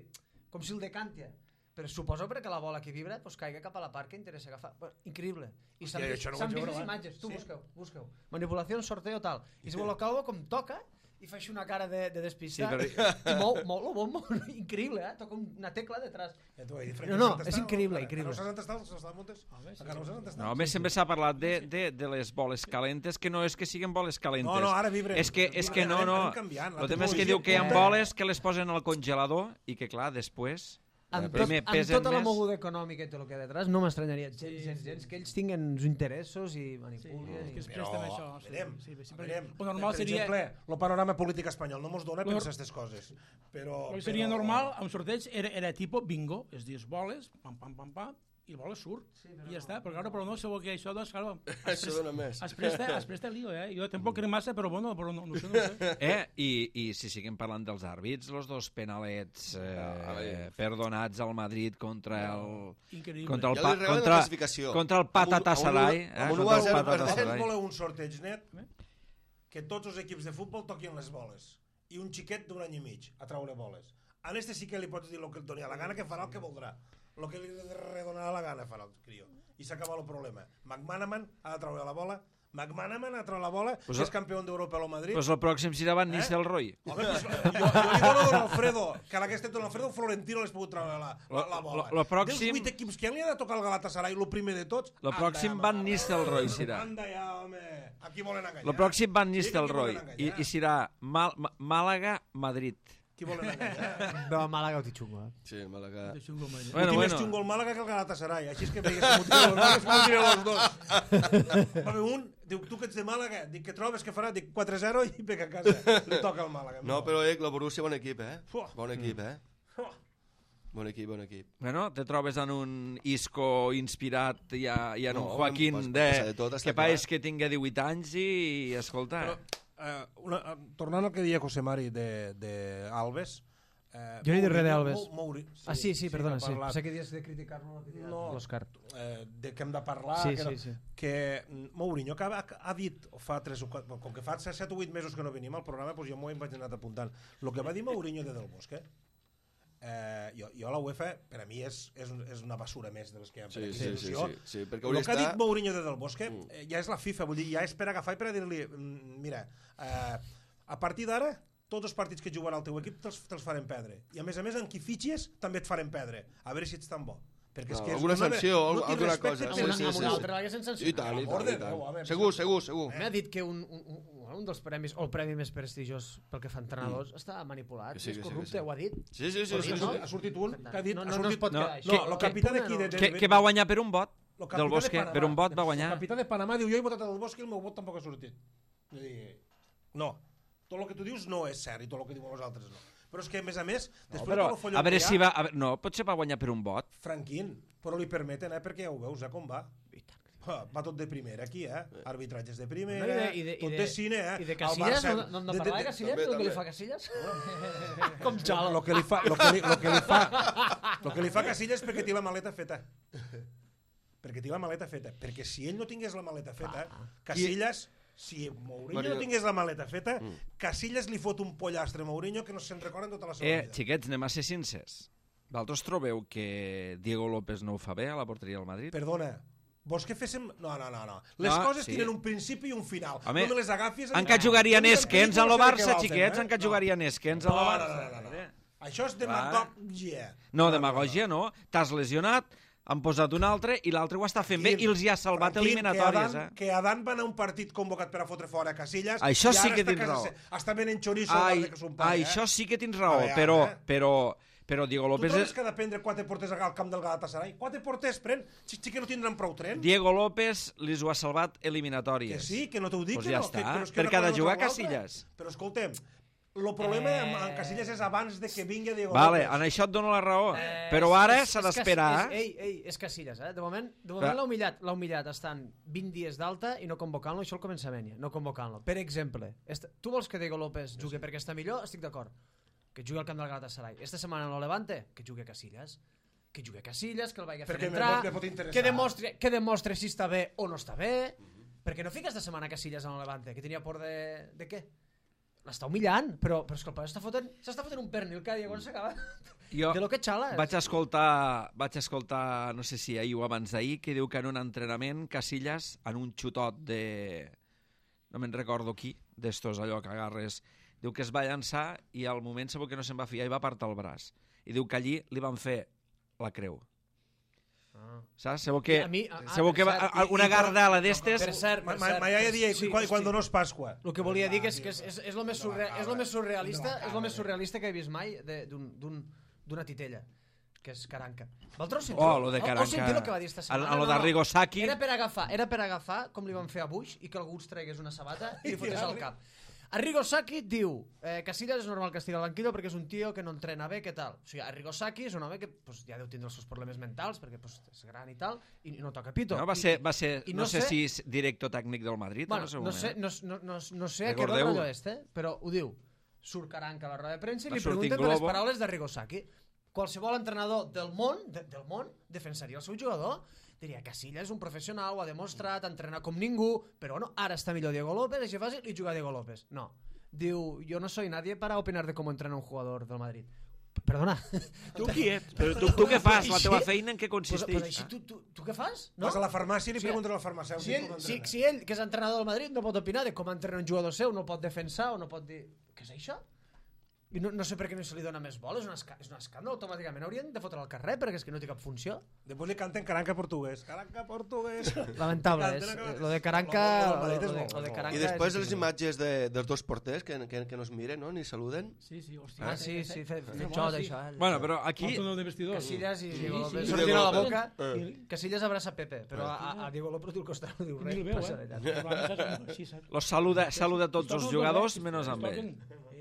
com si el decantia. Però suposo perquè la bola que vibra pues, caiga cap a la part que interessa agafar. Bueno, increïble. I s'han Hòstia, vist, això no ho s'han vaig vist veure les abans. imatges. Tu Sí? busqueu, busqueu. Manipulació, sorteo, tal. I se veu el calvo com toca i fa així una cara de, de despistat. Sí, però- I mou, mou el bombo. Increïble, eh? Toca una tecla detrás. Ja t'ho he dit, No, no, és increïble, increïble. No saps on està? Saps on Montes? Encara no saps on està? No, a més sempre s'ha parlat de, de, de les boles calentes, que no és que siguin boles calentes. No, no, ara vibren. És que, és que no, Anem- no. anem canviant, la El tema és que tecnologia diu que hi ha canvia. boles que les posen al congelador i que, clar, després... Amb, tot, primer amb pesen tota la més. moguda econòmica i tot el que hi ha detrás, no m'estranyaria gens, gens, gens, que ells tinguen uns interessos i Sí, manipulin. és que es i... Però, presten a això. sí, verem, sí, sí, verem. Lo normal per seria... exemple, el panorama polític espanyol no mos dona a Lo- pensar aquestes coses. Però, El que seria però- normal, a un sorteig, era, era tipo bingo, es dius boles, pam, pam, pam, pam, i el boles surt. Sí, però I ja no. està, però, claro, però no sabeu que això, doncs, claro, Això dona més. es presta, es presta lío, eh? Jo tampoc crec massa, però bueno, però no, no sé, no sé. Eh? I, I si siguem parlant dels àrbits, els dos penalets eh, perdonats al Madrid contra el... Increïble. Contra el, Ja pa, li regalen la contra, classificació. contra el Amb un- Patatasaray. amb un- Eh? amb un Contra u a el zero Vosaltres Patatasaray. voleu un sorteig net que tots els equips de futbol toquin les boles i un xiquet d'un any i mig a traure boles. A este sí que li pots dir el que et doni a la gana, que farà el que voldrà. El que li redonarà la gana farà el crió. I s'acaba el problema. McManaman ha de treure la bola, McManaman ha de treure la bola, Pues que el- és campió d'Europa a lo Madrid. Pues el pròxim serà Van Nistelrooy. Home, pues, jo, jo li dono a Don Alfredo, que a aquesta Don Alfredo Florentino l'has pogut treure la, la, la bola. Lo- lo pròxim- Dels vuit equips que li ha de tocar el Galatasaray, el primer de tots... Lo pròxim anda, Van home, Nistelrooy serà. Anda ja, home. Aquí volen enganyar. El pròxim Van Sí, que aquí Nistelrooy. volen I, enganyar. i serà Mal, Ma- Màlaga-Madrid. Qui volen enganyar? No, Màlaga ho té xungo, eh? Sí, Màlaga. De xungo, mai. Bueno, Bueno, bueno. més xungo el Màlaga que el Galatasaray. Així és que veigues que motiven els, motiven els dos. Va haver un, diu, tu que ets de Màlaga, dic, què trobes, què farà? Dic, quatre zero i pega a casa. Li toca al Màlaga. No, però eh, la Borussia, bon equip, eh? Fuà. Bon equip, eh? Oh, Bon equip, bon equip. Bueno, te trobes en un Isco inspirat i, a, i en un No, Joaquín pot- pot de, passar de tot, està que clar. pareix que tinga divuit anys i, escolta... Però, eh, una, eh, tornant al que deia José Mari de, de Alves... Eh, Jo he dit res Mourinho- d'Alves. Mou- Mouri- Ah, sí, sí, perdona, que ha sí. parlat, Pensé que dies de criticar-lo. No, No. l'Òscar. eh, de que hem de parlar... Sí, que, sí, no- sí. que mm, Mourinho que ha, ha dit fa tres o quatre, com que fa set o vuit mesos que no venim al programa, doncs jo m'ho he vaig anat apuntant. El que va dir Mourinho de Del Bosque, eh, jo, jo la UEFA per a mi és, és, un- és una basura més de les que hi ha per Sí, aquesta sí, sí, institució. sí, sí, perquè El hauria que ha dit d'estar... Mourinho de Del Bosque eh, ja és la FIFA, vull dir, ja és per agafar i per a dir-li mm, mira, eh, a partir d'ara tots els partits que juguen al teu equip te'ls te farem perdre, i a més a més en qui fitxes també et farem perdre, a veure si ets tan bo perquè és No, que és alguna una- sanció, no tinc alguna respecte cosa. per- Amb una, sí, amb sí, una sí. altra l'hagués I sancionat. tant, i Per tant, l'amor i de Déu, a tant. veure, Segur, sí. segur, segur. M'ha dit que un, un, un, un dels premis, o el premi més prestigiós pel que fa a entrenadors, mm. està manipulat, Que sí, és que sí, corrupte, que sí. ho ha dit. Sí, sí, sí, Però sí, sí, sí. ha sortit un que ha dit... No, ha no, no sortit, es pot No, quedar no, així. el capità Que- d'aquí de, de, que, que va guanyar per un vot el del Bosque, de Panamà, per un vot va guanyar. El capità de Panamà diu, jo he votat el Bosque i el meu vot tampoc ha sortit. I dir, no, tot el que tu dius no és cert i tot el que diuen els altres no. Però és que, a més a més, després No, però, de tot el follon a veure que hi si ha, va... A veure, no, potser va guanyar per un vot. Franquín, però li permeten, eh, perquè ja ho veus, eh, com va. Ah, va tot de primera aquí, eh? Arbitratges de primera, No, i de, i de, tot i de, cine, eh? I de El Casillas, Barça- no, no, no de- de- parlar de de- Casillas, també, el que li també. fa Casillas? Com xalo. Lo que li fa, lo que li, lo que li fa, lo que li fa Casillas perquè té la maleta feta. Perquè té la maleta feta. Perquè si ell no tingués la maleta feta, Casillas, si Mourinho Mario- no tingués la maleta feta, Casillas li fot un pollastre a Mourinho que no se'n recorda en tota la seva Eh, vida. xiquets, anem a ser sincers. Vosaltres trobeu que Diego López no ho fa bé a la porteria del Madrid? Perdona, vols que féssim... No, no, no. no. Les No, coses sí. tenen un principi i un final. Home, no me les agafis... En què jugarien no Esquens en el sé de què Barça, val, xiquets? eh? En què No. jugarien Esquens en el No, no, Barça? no, no, no. Això és demagògia. No, demagogia no. T'has lesionat, han posat un altre i l'altre ho està fent bé i els hi ha salvat Tranquil, eliminatòries. Que Adan, Eh? que Adan va anar a un partit convocat per a fotre fora a Casillas. Això i sí ara que està tens a casa raó. se- Està venent xoriço Ai, de que son pare, ai, eh? això sí que tens raó, A veure, però, eh? però, però Diego Tu López... trobes És... que ha de prendre quatre porters al camp del Galatasaray? Quatre porters pren? Sí, sí que no tindran prou tren? Diego López li ho ha salvat Que eliminatòries. sí, que no t'ho dic, Pues que ja no. està, que, però és que perquè una ha de cosa no jugar treu l'altra. Casillas. Però escolta'm, el problema eh... amb Casillas és abans de que vingui Diego Vale, López. en això et dono la raó, Eh, però és- ara és- s'ha és d'esperar. Cas- és- Ei, ei, és Casillas, eh? De moment, de moment Clar. l'ha humillat, l'ha humillat estant vint dies d'alta i no convocant-lo, això el començament, no convocant-lo. Per exemple, est- tu vols que Diego López jugui perquè està millor? Estic d'acord. Que jugui al camp del Galatasaray. Esta setmana no Levante, que jugui a Casillas. Que jugui a Casillas, que el vagi a fer Perquè me entrar, pot- me pot interessar. que demostre, que demostre si està bé o no està bé. Perquè no fica esta setmana Casillas en el Levante, que tenia por de... de què? L'està humillant, però, però és que el paio està fotent, s'està fotent un pernil cada dia quan s'acaba. Jo De lo que xala. vaig escoltar, vaig escoltar, no sé si ahir o abans d'ahir, que diu que en un entrenament Casillas, en un xutot de... no me'n recordo qui, d'estos allò que agarres, diu que es va llançar i al moment segur que no se'n va fiar i va apartar el braç. I diu que allí li van fer la creu. Ah. Saps? Segur que, A mi- ah, segur per que va, cert, a- una i- i- gardala d'estes... Per cert, Ma, per ma, cert. ma iaia dia, Sí, quan, hosti. quan no és Pasqua. El que volia dir que és que és, és, és, lo més surre, és lo més surrealista és lo més surrealista que he vist mai de- d'un- d'un- d'una titella, que és Caranca. Vosaltres sentiu? Oh, lo de Heu- heu Caranca. sentit el que va dir esta setmana? En- en lo d'Arrigo Sacchi. Era per agafar, era per agafar, com li van fer a Bush, i que algú es tragués una sabata i li fotés al cap. Arrigo Sacchi diu eh, Casillas és normal que estigui al banquillo perquè és un tio que no entrena bé, què tal? O sigui, Arrigo Sacchi és un home que pues, ja deu tindre els seus problemes mentals perquè pues, és gran i tal, i no toca pito. No, va I- ser, va ser i no, no sé, sé- si és director tècnic del Madrid. Bueno, en el seu no moment, sé, eh? no, no, no, no sé a què va el Recordeu-ho. rotllo este, però ho diu. Surt Caranca a la roda de premsa i Va li sortir pregunten per les Globo. paraules d'Arrigo Sacchi. Qualsevol entrenador del món, de, del món defensaria el seu jugador. Diria, Casillas és un professional, ho ha demostrat, entrena com ningú, però bueno, ara està millor Diego López, així fàcil, i juga Diego López. No. Diu, yo no soy nadie para opinar de cómo entrena un jugador del Madrid. Perdona. Tu qui ets? Però tu, tu què fas? La Així- teva feina en què Pues, consisteix? pues així, tu, tu, tu què fas? No? Vas a la farmàcia i li Sí. preguntes al farmacèutic Si ell, com si, entrena. si ell, que és entrenador del Madrid, no pot opinar de com entrena un jugador seu, no pot defensar o no pot dir... Què és això? I no, no sé per què no se li dona més bola, és un, esca és un escàndol, automàticament haurien de fotre al carrer perquè és que no té cap funció. Després li canten Caranca portuguès. Caranca portuguès. Lamentable, és, Canten a- lo de Caranca... Lo- lo- lo- Lo, lo- de, lo- lo de lo- Caranca I després és les imatges de, dels dos porters que, que, que no es miren, no? Ni saluden. Sí, sí, hòstia. Ah, sí, sí, fe, fe Bona, xot, sí. això. Eh? Bueno, però aquí... Aquí... de vestidor. Casillas i Sí, Diego sí, López sí. sortint a la Diego boca. Eh. Casillas abraça Pepe, però a, a, a Diego López al costat no diu Ni res. el veu, passa eh? veritat. Sí, saps? Los saluda, saluda tots els jugadors, menys amb ell.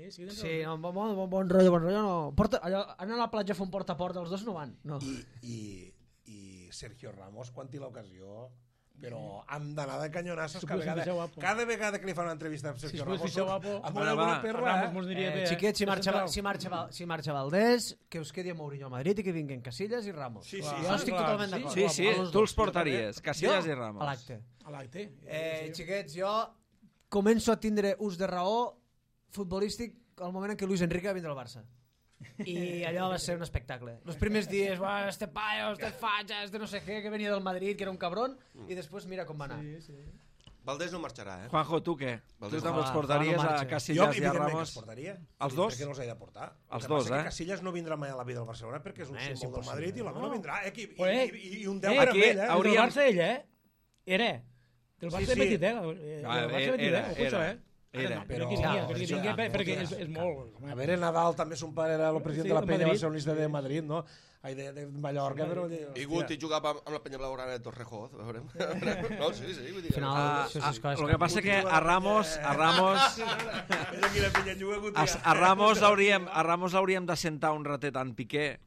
Eh, sí, Sí, no, bon, bon, bon, bon rotllo, bon rotllo, no. Porta, allò, anar a la platja a fer un porta a porta, els dos no van. No. I, i, i Sergio Ramos, quan té l'ocasió, però amb d'anada de canyonassos, Si cada puedes vegada, fichar guapo. cada vegada que li fan una entrevista a Si Sergio es puede Ramos, fichar guapo. amb Bueno, una va. bona perra, Ramos eh? mos diria Eh, bé, eh? xiquets, si marxa, Central. si, marxa, Val- si marxa Valdés, que us quedi a Mourinho a Madrid i que vinguin Casillas i Ramos. Sí, sí, jo sí, estic clar, totalment sí. d'acord. Sí, sí, A los tu dos. els portaries, Casillas Jo, i Ramos. a l'acte. A l'acte. Eh, xiquets, jo començo a tindre ús de raó futbolístic al moment en què Luis Enrique va vindre al Barça. I allò va ser un espectacle. Els primers dies, "Buah, este paio, este fatxa, este no sé què, que venia del Madrid, que era un cabron, i després mira com va anar. Sí, sí. Valdés no marxarà, eh? Juanjo, tu què? Tu Valdés també no. els portaries Juan no a marxa. Jo, Casillas i a evidentment, que els Ramos? portaria. Els dos? Per què no els he de portar? Els El que dos, passa és eh? que Casillas no vindrà mai a la vida del Barcelona perquè és un Eh, és símbol del impossible. Madrid i l'home no vindrà. Eh? I, Pues, eh, i, i, i un eh, deure amb aquí ell, eh? hauria- Del Hauríem- Barça ell, eh? Era. Del Barça Sí, sí, sí. petit, eh? Eh, Del Ah, Barça era, petit, era, eh? Ojo, això, era. eh? Era. Però Però- que vingui, que Sí, vingui, sí, perquè sí, és, és molt... A veure, Nadal també son pare era el president Sí, de la de penya Madrid. barcelonista de Madrid, no? Ai, de, de Mallorca, però... I Guti jugava amb, amb la penya blaugrana de Torrejón, a veure. No, sí, sí, vull dir... Al final, Ah, això ah, és coses el que passa que a Ramos, a Ramos, És aquí la penya juga Guti. a, a Ramos hauríem, a Ramos l'hauríem d'assentar un ratet en Piqué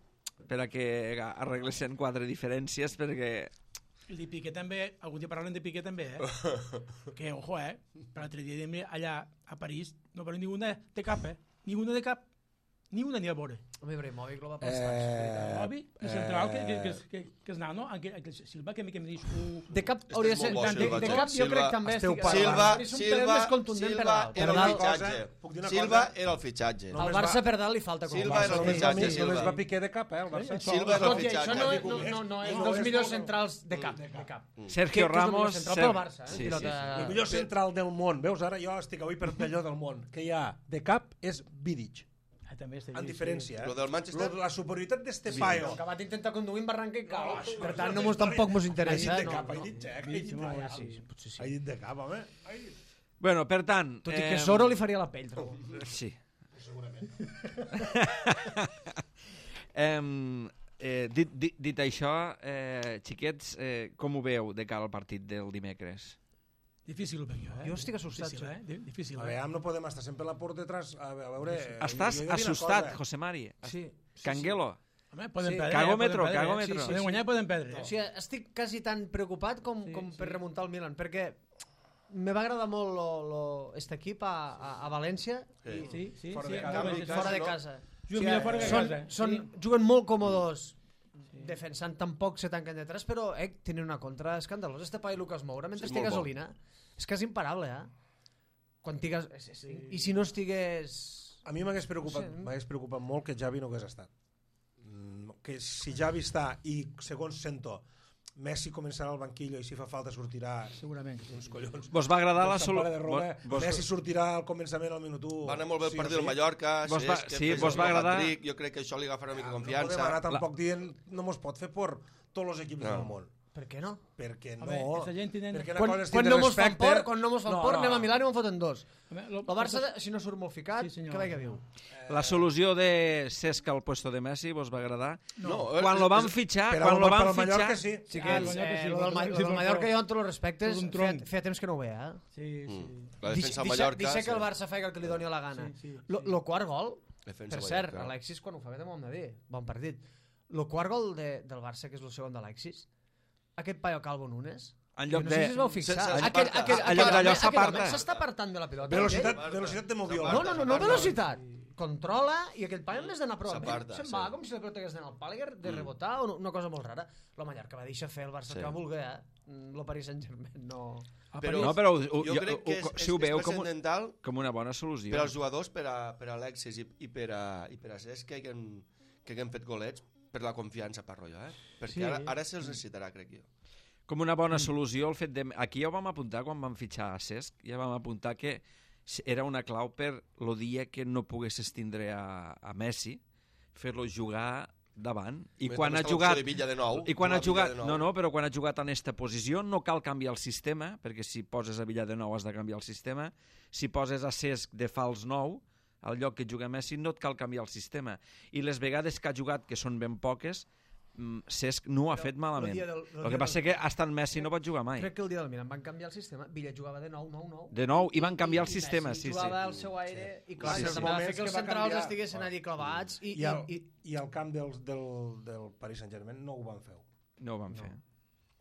per a que arreglessin quatre diferències, perquè El de Piqué també, algun dia parlen de Piqué també, eh? Que, ojo, eh? Per l'altre dia diem allà a París no parlem ninguna de cap, eh? Ninguna de cap. Ni una ni a veure. Home, Ibrahimovic lo va pels Eh, sacs. L'Obi, el central, que, que, que, que, que és nano, que, que Silva, que, que em dius... Uh, De cap hauria de ser... molt bo, De, Silva, de tio. cap jo Silva, crec també... esteu estic- parlant. Silva, és un pelet Silva, més contundent Silva Perdal. era el Perdal. fitxatge. Puc dir una Silva cosa? era el fitxatge. No. El Només Barça va- per dalt li falta... com Silva a era el Barça. Només va, fitxatge, només Silva. va Piqué de cap, eh, el Barça. Silva era el Tot i això no, fitxatge. no, no, no és No, dels és millors molt- centrals de cap. De cap. Sergio Que- que és el millor Ramos... central Ser- pel Barça, eh? Sí, sí, Pilota- El millor central del món, veus, ara jo estic avui per allò del món, que hi ha de cap és Vidic, ah, també està en diferència. Eh? Lo del Manchester? Lo- La superioritat d'este paio. Que va intentar conduir en barranca i cau. No, Per això tant, és no una mos, història. tampoc mos Ha interessa. dit de no, cap, ha no. dit xec, ha Sí, dit sí, de molt bé, cap. sí, sí, potser sí. Ha dit de cap, home. Ai. Bueno, per tant... Tot i que eh, Soro li faria la pell, trobo. Sí. Em, eh, dit, dit, dit això, eh, xiquets, eh, com ho veu de cara al partit del dimecres? Difícil ho veig jo, eh? Jo estic assustat, Difícil, eh? Di- Difícil, A eh? veure, no podem estar sempre la por detrás. A veure... A veure Estàs jo he de dir una assustat, cosa. José Mari. Sí. Canguelo. Home, poden Sí. perdre, Cagòmetro, poden perdre, cagòmetro. Sí, sí, poden guanyar i poden perdre. O sigui, estic quasi tan preocupat com, Sí, com sí. per remuntar el Milan, perquè me va agradar molt lo, lo, este equip a, a, a València Sí. Sí, sí, Fora sí, de sí, casa. sí, sí. fora de no? casa. Juguen millor fora que a són, casa. són, Sí. Juguen molt còmodes defensant tampoc se tanquen detrás, però eh, tenen una contra escandalosa. Este paio Lucas Moura, mentre Sí, té molt bo. gasolina, és quasi imparable, eh? Quan tigues... I si no estigués... A mi m'hagués preocupat, Sí. m'hagués preocupat molt que Xavi no hagués estat. Mm, Que si Xavi està i, segons sento, Messi començarà al banquillo i si fa falta sortirà Segurament. uns collons. Vos va agradar la Sant solució... Pare de Roma, Messi sortirà al començament al minut u. Va anar molt bé el sí o partit del sí. Mallorca, Vos va- Cesc, sí, que vos fes va el agradar- hat-trick, jo crec que això li agafarà una mica de No podem confiança. anar tampoc dient, no mos pot fer por tots els equips No. del món. Per què no? Perquè no... Home, aquesta gent tenen- perquè una Quan, cosa és quan, tindre no mos fan respecte- por, quan no mos fan No, por, no. anem a Milà i me'n foten dos. Home, lo- El Barça, si no surt molt ficat, Sí, senyor. que veia viu. La solució de Cesc al puesto de Messi vos va agradar? No, Quan és- lo van és- fitxar, Per quan al, lo per van al Mallorca fitxar... sí. Sí que Ah, és, el Mallorca eh, sí, lo del, Ma- sí, lo del per Mallorca favor. jo amb tots els respectes És un feia, tronc. feia temps que no ho veia. Eh? Sí, sí. La defensa del Deixa- Mallorca... deixa que el sí. Barça faci el que li doni la gana. Sí, sí, Lo, sí. lo quart gol, Defensa per cert, Mallorca. Alexis quan ho fa bé també ho hem de dir, bon partit. Lo quart gol de, del Barça, que és el segon d'Alexis, aquest paio Calvo Nunes, En jo lloc no sé de... si es vau fixar. Se- se- Aquell, s'aparta. aquell, En aquell, lloc d'allò home- aquell s'aparta. home s'està apartant de la pilota. Velocitat, Aquell- velocitat de moviola. No, no, no, no S'aparta. velocitat. Controla i aquell paio en vez d'anar a prop, S'aparta, se'n sí. va com si la pilota hagués d'anar al pàl·liger, de rebotar, o no- una cosa molt rara. Lo Mallorca va deixar fer el Barça Sí. que va voler, eh? Mm, Lo Paris Saint-Germain no... A Però- París- No, però ho, ho, Jo jo, crec que és, ho, és, si ho veu és com, un, transcendental com una bona solució. per als jugadors, per a, per a Alexis i, i, per a, i per a Cesc, que haguem, que haguem fet golets per la confiança, parlo jo, eh? Perquè Sí. ara, ara se'ls necessitarà, crec jo. Com una bona solució el fet de... Aquí ja ho vam apuntar quan vam fitxar a Cesc, ja vam apuntar que era una clau per el dia que no poguessis tindre a, a Messi, fer-lo jugar davant. I Més quan també ha està l'opció jugat... de Villa de nou, I quan ha jugar a jugat... Villa de nou. No, no, però quan ha jugat en aquesta posició no cal canviar el sistema, perquè si poses a Villa de nou has de canviar el sistema. Si poses a Cesc de fals nou, al lloc que juga Messi, no et cal canviar el sistema. I les vegades que ha jugat, que són ben poques, mm, Cesc no ho ha fet malament. dia del- el El que dia passa del- que hasta en Messi no pot jugar mai. Crec que el dia del Milan van canviar el sistema, Villa jugava de nou, nou, nou. De nou, i van canviar el I sistema, Messi sí, sí. jugava al seu aire i clar, Sí, sí, sí. també va fer que els Que va centrals canviar. estiguessin allí clavats i, I al, i, i, i al camp del, del, del Paris Saint-Germain no ho van fer. No ho van fer.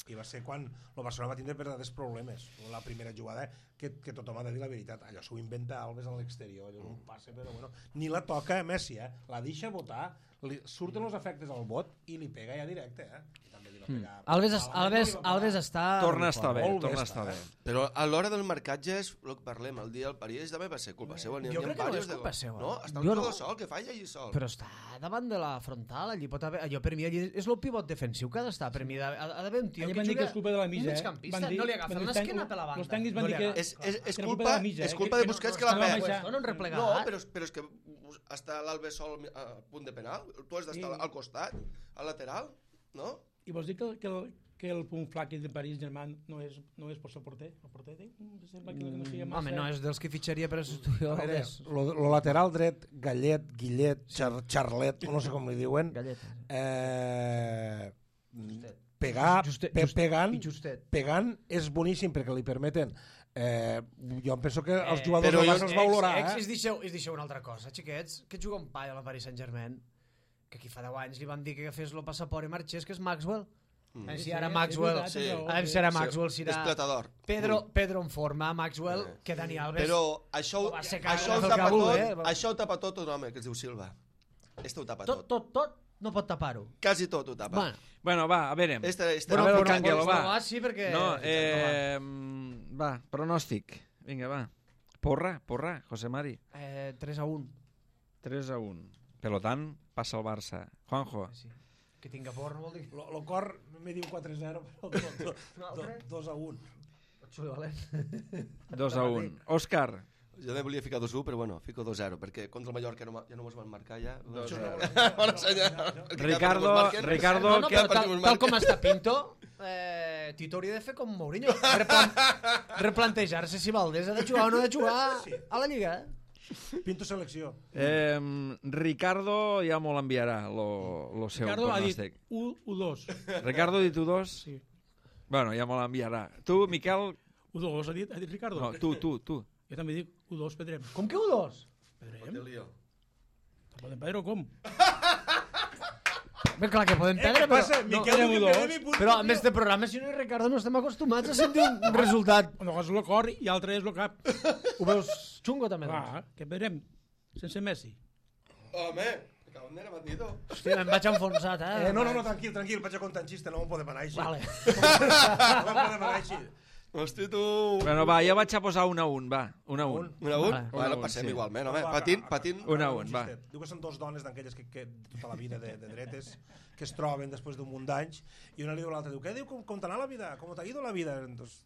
I va ser quan el Barcelona va tindre verdaders problemes. La primera jugada, que, que tothom ha de dir la veritat, allò s'ho inventa Alves a l'exterior, allò és un passe, però bueno, ni la toca a Messi, eh? La deixa votar, li, surten els efectes al bot i li pega ja directe, eh? I també li va pegar... Alves, es- malament, Alves, no li va pegar. Alves està... Torna a estar bé, molt bé torna a està, estar bé. eh? Però a l'hora del marcatge és el que parlem, el dia del París també va ser culpa seva. N'hi ha- Jo n'hi ha crec que no diversos és de culpa gols. seva. No, està el Jo jugador no. sol, que falla allí sol. Però està davant de la frontal, allí pot haver... Allò per mi allí és el pivot defensiu que ha d'estar. Per mi ha, ha d'haver un tio Allà que van dir juga... que és culpa de la mitja, un eh? migcampista, Van dir- no li agafa van dir- l'esquena per la banda. los tècnics van no li dir que- agafa. És, és, és, Que era culpa, culpa de la mitja, és eh? culpa Que- de que Busquets no- que no la estava perd. baixant. No, no, replegat. No, però, però és que està l'Alves sol a punt de penal, tu has d'estar Sí. al costat, al lateral, no? I vols dir que, el- que, el, que el punt flac de París Germain no és, no és per ser porter? El porter té? Mm, sembla que no feia massa... Home, no, és dels que fitxaria per a substituir A veure, Alves. lo, lo lateral dret, Gallet, Guillet, Char, Charlet, no sé com li diuen, Galleta. eh, pegar, Justet, pe, just- pegant, i Justet. pegant és boníssim perquè li permeten eh, jo em penso que els Eh, jugadors però del jo- Barça els va olorar, Ex, eh? es, deixeu, es deixeu una altra cosa, xiquets, que juga un paio a la Paris Saint-Germain, que aquí fa deu anys li van dir que fes el passaport i marxés, que és Maxwell. Mm. Si ara Maxwell... és veritat, Sí. però- A veure si ara Maxwell És serà... platador. Pedro, Pedro en forma, Maxwell, Eh. que Dani Alves... Però això, ho va ser que això, ho el tapa Cabul, tot, eh? això ho tapa tot un home que es diu Silva. Este ho tapa tot, tot. tot, tot, no pot tapar-ho. Quasi tot ho tapa. Bueno, Bueno, va, a veure. Este, este Bueno, a no, veure, però- Canguelo, però- va. però sí, perquè... No, eh, va, pronòstic. Vinga, va. Porra, porra, José Mari. Eh, tres a un. tres a un. Per tant, passa el Barça. Juanjo. Sí. Que tinga por no vol dir... Lo, lo cor me diu quatre a zero, però do, do, do, dos a un. Xuli valent. dos a un. Òscar. Jo també volia ficar dos a u, però bueno, fico dos a zero, perquè contra el Mallorca no, ma- ja no mos van marcar ja. dos a Bona zero. senyal. Ricardo, Ricardo, No, no, que... però tal, tal com està Pinto, eh, Tito hauria de fer com Mourinho. Replan replantejar-se si Valdés ha de jugar o no ha de jugar a la Lliga. Eh? Pinto selecció. Eh, Ricardo ja m'ho l'enviarà, lo, lo seu Ricardo ha dit pronòstic. u dos. Ricardo ha dit u dos? Sí. Bueno, ja m'ho l'enviarà. Tu, Miquel, u dos, ha dit, ha dit Ricardo. No, tu, tu, tu. Jo també dic u dos, Pedrem. Com que u dos? Pedrem? Podem perdre o com? Ben clar que podem Eh, perdre, què passa? però... Miquel, no, que no, perdem i punt, Però tio. amb este programa, si no hi Ricardo, no estem acostumats a sentir un resultat. Una cosa és el cor i l'altra és el cap. Ho veus xungo, també? doncs? Clar, què perdrem? Sense Messi. Home, acabem de bandito. Hòstia, em vaig enfonsat, eh? Eh, no, no, no, tranquil, tranquil, vaig a contar un xiste, no me'n podem anar així. Vale. No me'n podem anar així. Hosti, tu... Bueno, va, jo vaig a posar un a un, va. Un a un. Un a un? Vale. Bueno, Un a un, passem sí. igualment, home. Va, Patint, va, patint. Un a Acaba un, va. xistet. Diu que són dos dones d'aquelles que, que de tota la vida de, de dretes que es troben després d'un munt d'anys i una li diu a l'altra, diu, què diu, com, com t'anà la vida? Com t'ha ido la vida? Entonces,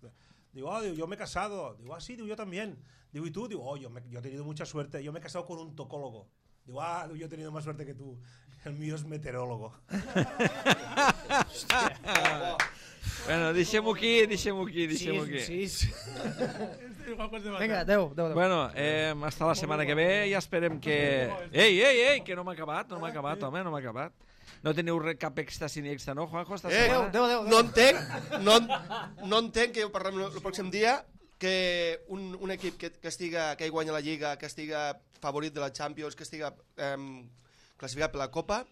diu, oh, diu, yo me he casado. Diu, ah, sí, diu, yo también. Diu, ¿y tú? Diu, oh, yo, me, yo he tenido mucha suerte. Yo me he casado con un tocólogo. Diu, ah, diu, yo he tenido más suerte que tú. El mío es meteorólogo. Bueno, deixem-ho aquí, deixem-ho aquí, deixem-ho aquí. Sí, sí. Igual que has de matar. Vinga, adeu, adeu, adeu. Bueno, eh, hasta la setmana que ve i esperem que... Ei, ei, ei, que no m'ha acabat, no m'ha acabat, home, no m'ha acabat. No teniu re- cap extasi ni extra, no, Juanjo, esta Eh, setmana? adeu, adeu, adeu. no entenc, no, en- no entenc que ho parlem el pròxim dia, que un, un equip que, que estiga, que hi guanya la Lliga, que estiga favorit de la Champions, que estiga eh, classificat per la Copa,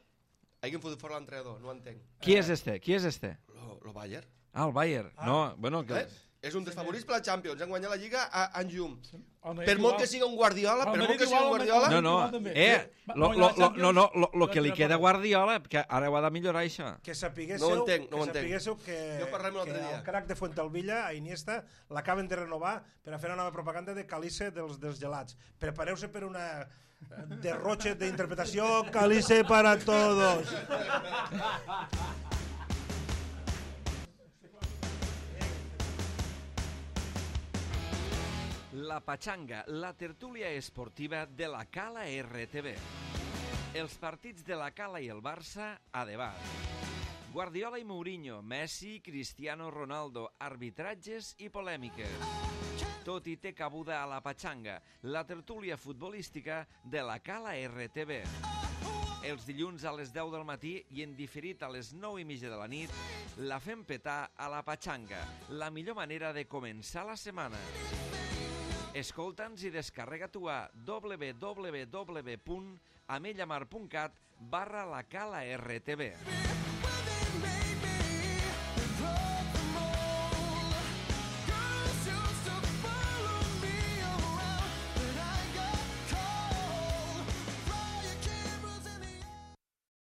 hagin fotut fora l'entrenador, no ho entenc. Qui és este? Qui és este? Lo, lo Bayern. Ah, el Bayern. No, bueno, que... Eh? És un dels favorits per la Champions, han guanyat la Lliga a en llum. El Madrid Per molt igual. que siga un Guardiola, El per Madrid molt que siga un igual, el Guardiola... No, no, igual també. eh, Va- lo, va lo, guanyar la lo, no, no, lo, lo Champions, que li va queda a tirar Guardiola, que ara ho ha de millorar això. Que sapiguéssiu, No ho entenc, no ho que, entenc. sapiguéssiu que, Jo parlem un que altre dia. el crack de Fuentalvilla, a Iniesta, l'acaben de renovar per a fer una nova propaganda de Calice dels, dels gelats. Prepareu-se per una derroche d'interpretació Calice para todos. La Pachanga, la tertúlia esportiva de la Cala R T V. Els partits de la Cala i el Barça a debat. Guardiola i Mourinho, Messi, Cristiano Ronaldo, arbitratges i polèmiques. Tot hi té cabuda a la Pachanga, la tertúlia futbolística de la Cala R T V. Els dilluns a les deu del matí i en diferit a les nou i mitja de la nit, la fem petar a la Pachanga, la millor manera de començar la setmana. Escolta'ns i descarrega-t'ho a w w w punt amellamar punt cat barra la Cala R T V.